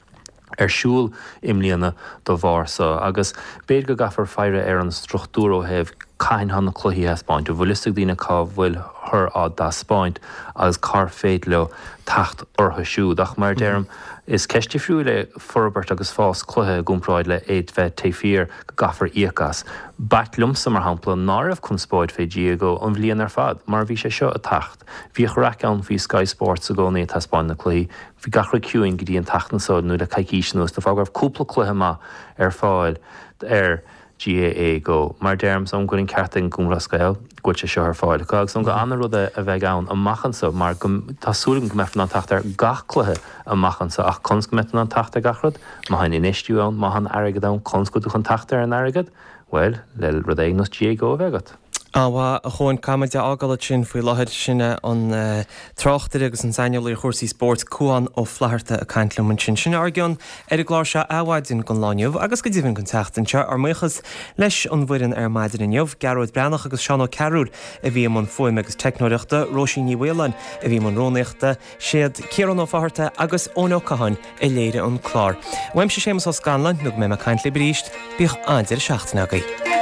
ar siúl i mbliana dá bharr so agus b'fhéidir go gcaithfear faire ar an struchtúr ó thaobh cathain thá na cluichí a thaispeáint, an bhfuil fhios ag daoine cá bhfuilthear á dtaispeáint agus cár féidir leo teacht orthu siúd. Ach mar a deirim, is ceist difriúil é forbairt agus fás cluiche i gcomparáid le é bheith taobh thiar go gcaithfear íoc as. B'ait liomsa, mar shampla, ná raibh conspóid fé GAA Go an bhliain ar fad, mar bhí sé seo ag teacht. Bhíodh raic ann faoi Sky Sports i gcónaí ag taispeáint na cluichí. Bhí gach rud ciúin go dtí an tseachtain so nó le coicís anuas, de bharr go raibh cúpla cluiche maith ar fáil ar GAA Go. Mar deirim, is dóigh liom go bhfuil an ceart ag an gCumann Lúthchleas Gael go bhfuil sé seo ar fáil acu agus is dóigh liom gur ana-rud é a bheidh ann amach anso mar go tá súil agam go mbeifear in ann teacht ar gach cluiche amach anso ach conas go mbeidh tú in ann teacht ar gach rud? Má tá an infheistiú ann, má tá an airgead ann, conas go bhfuil tú chun teacht ar an airgead? Bhuel, le rud éigin nós GAA Go a bheith agat. An-mhaith, a Chuain. Caithfimid é a fhágáil ansin faoi láthair. Sin é an tráchtaire agus an saineolaí ar chúrsaí spóirt, Cuan Ó Flatharta ag caint liom ansin. Sin ár gcion ar an gclár seo Adhmhaidin don lá inniu agus go deimhin don tseachtain seo. Ár mbuíochas leis an bhfoireann ar maidin inniu, Gearóid Breathnach agus Seán Ó Cearúil a bhí i mbun fuaime agus teicneoireachta, Róisín Ní Mhaoláin a bhí i mbun rúnaíochta, Siad Ciarán Ó Fátharta agus Eoin Ó Catháin a léirigh an clár. Uaimse Séamus Ó Scanláin, nó go mbeidh mé ag caint libh arís, bíodh an-deireadh seachtaine agaibh.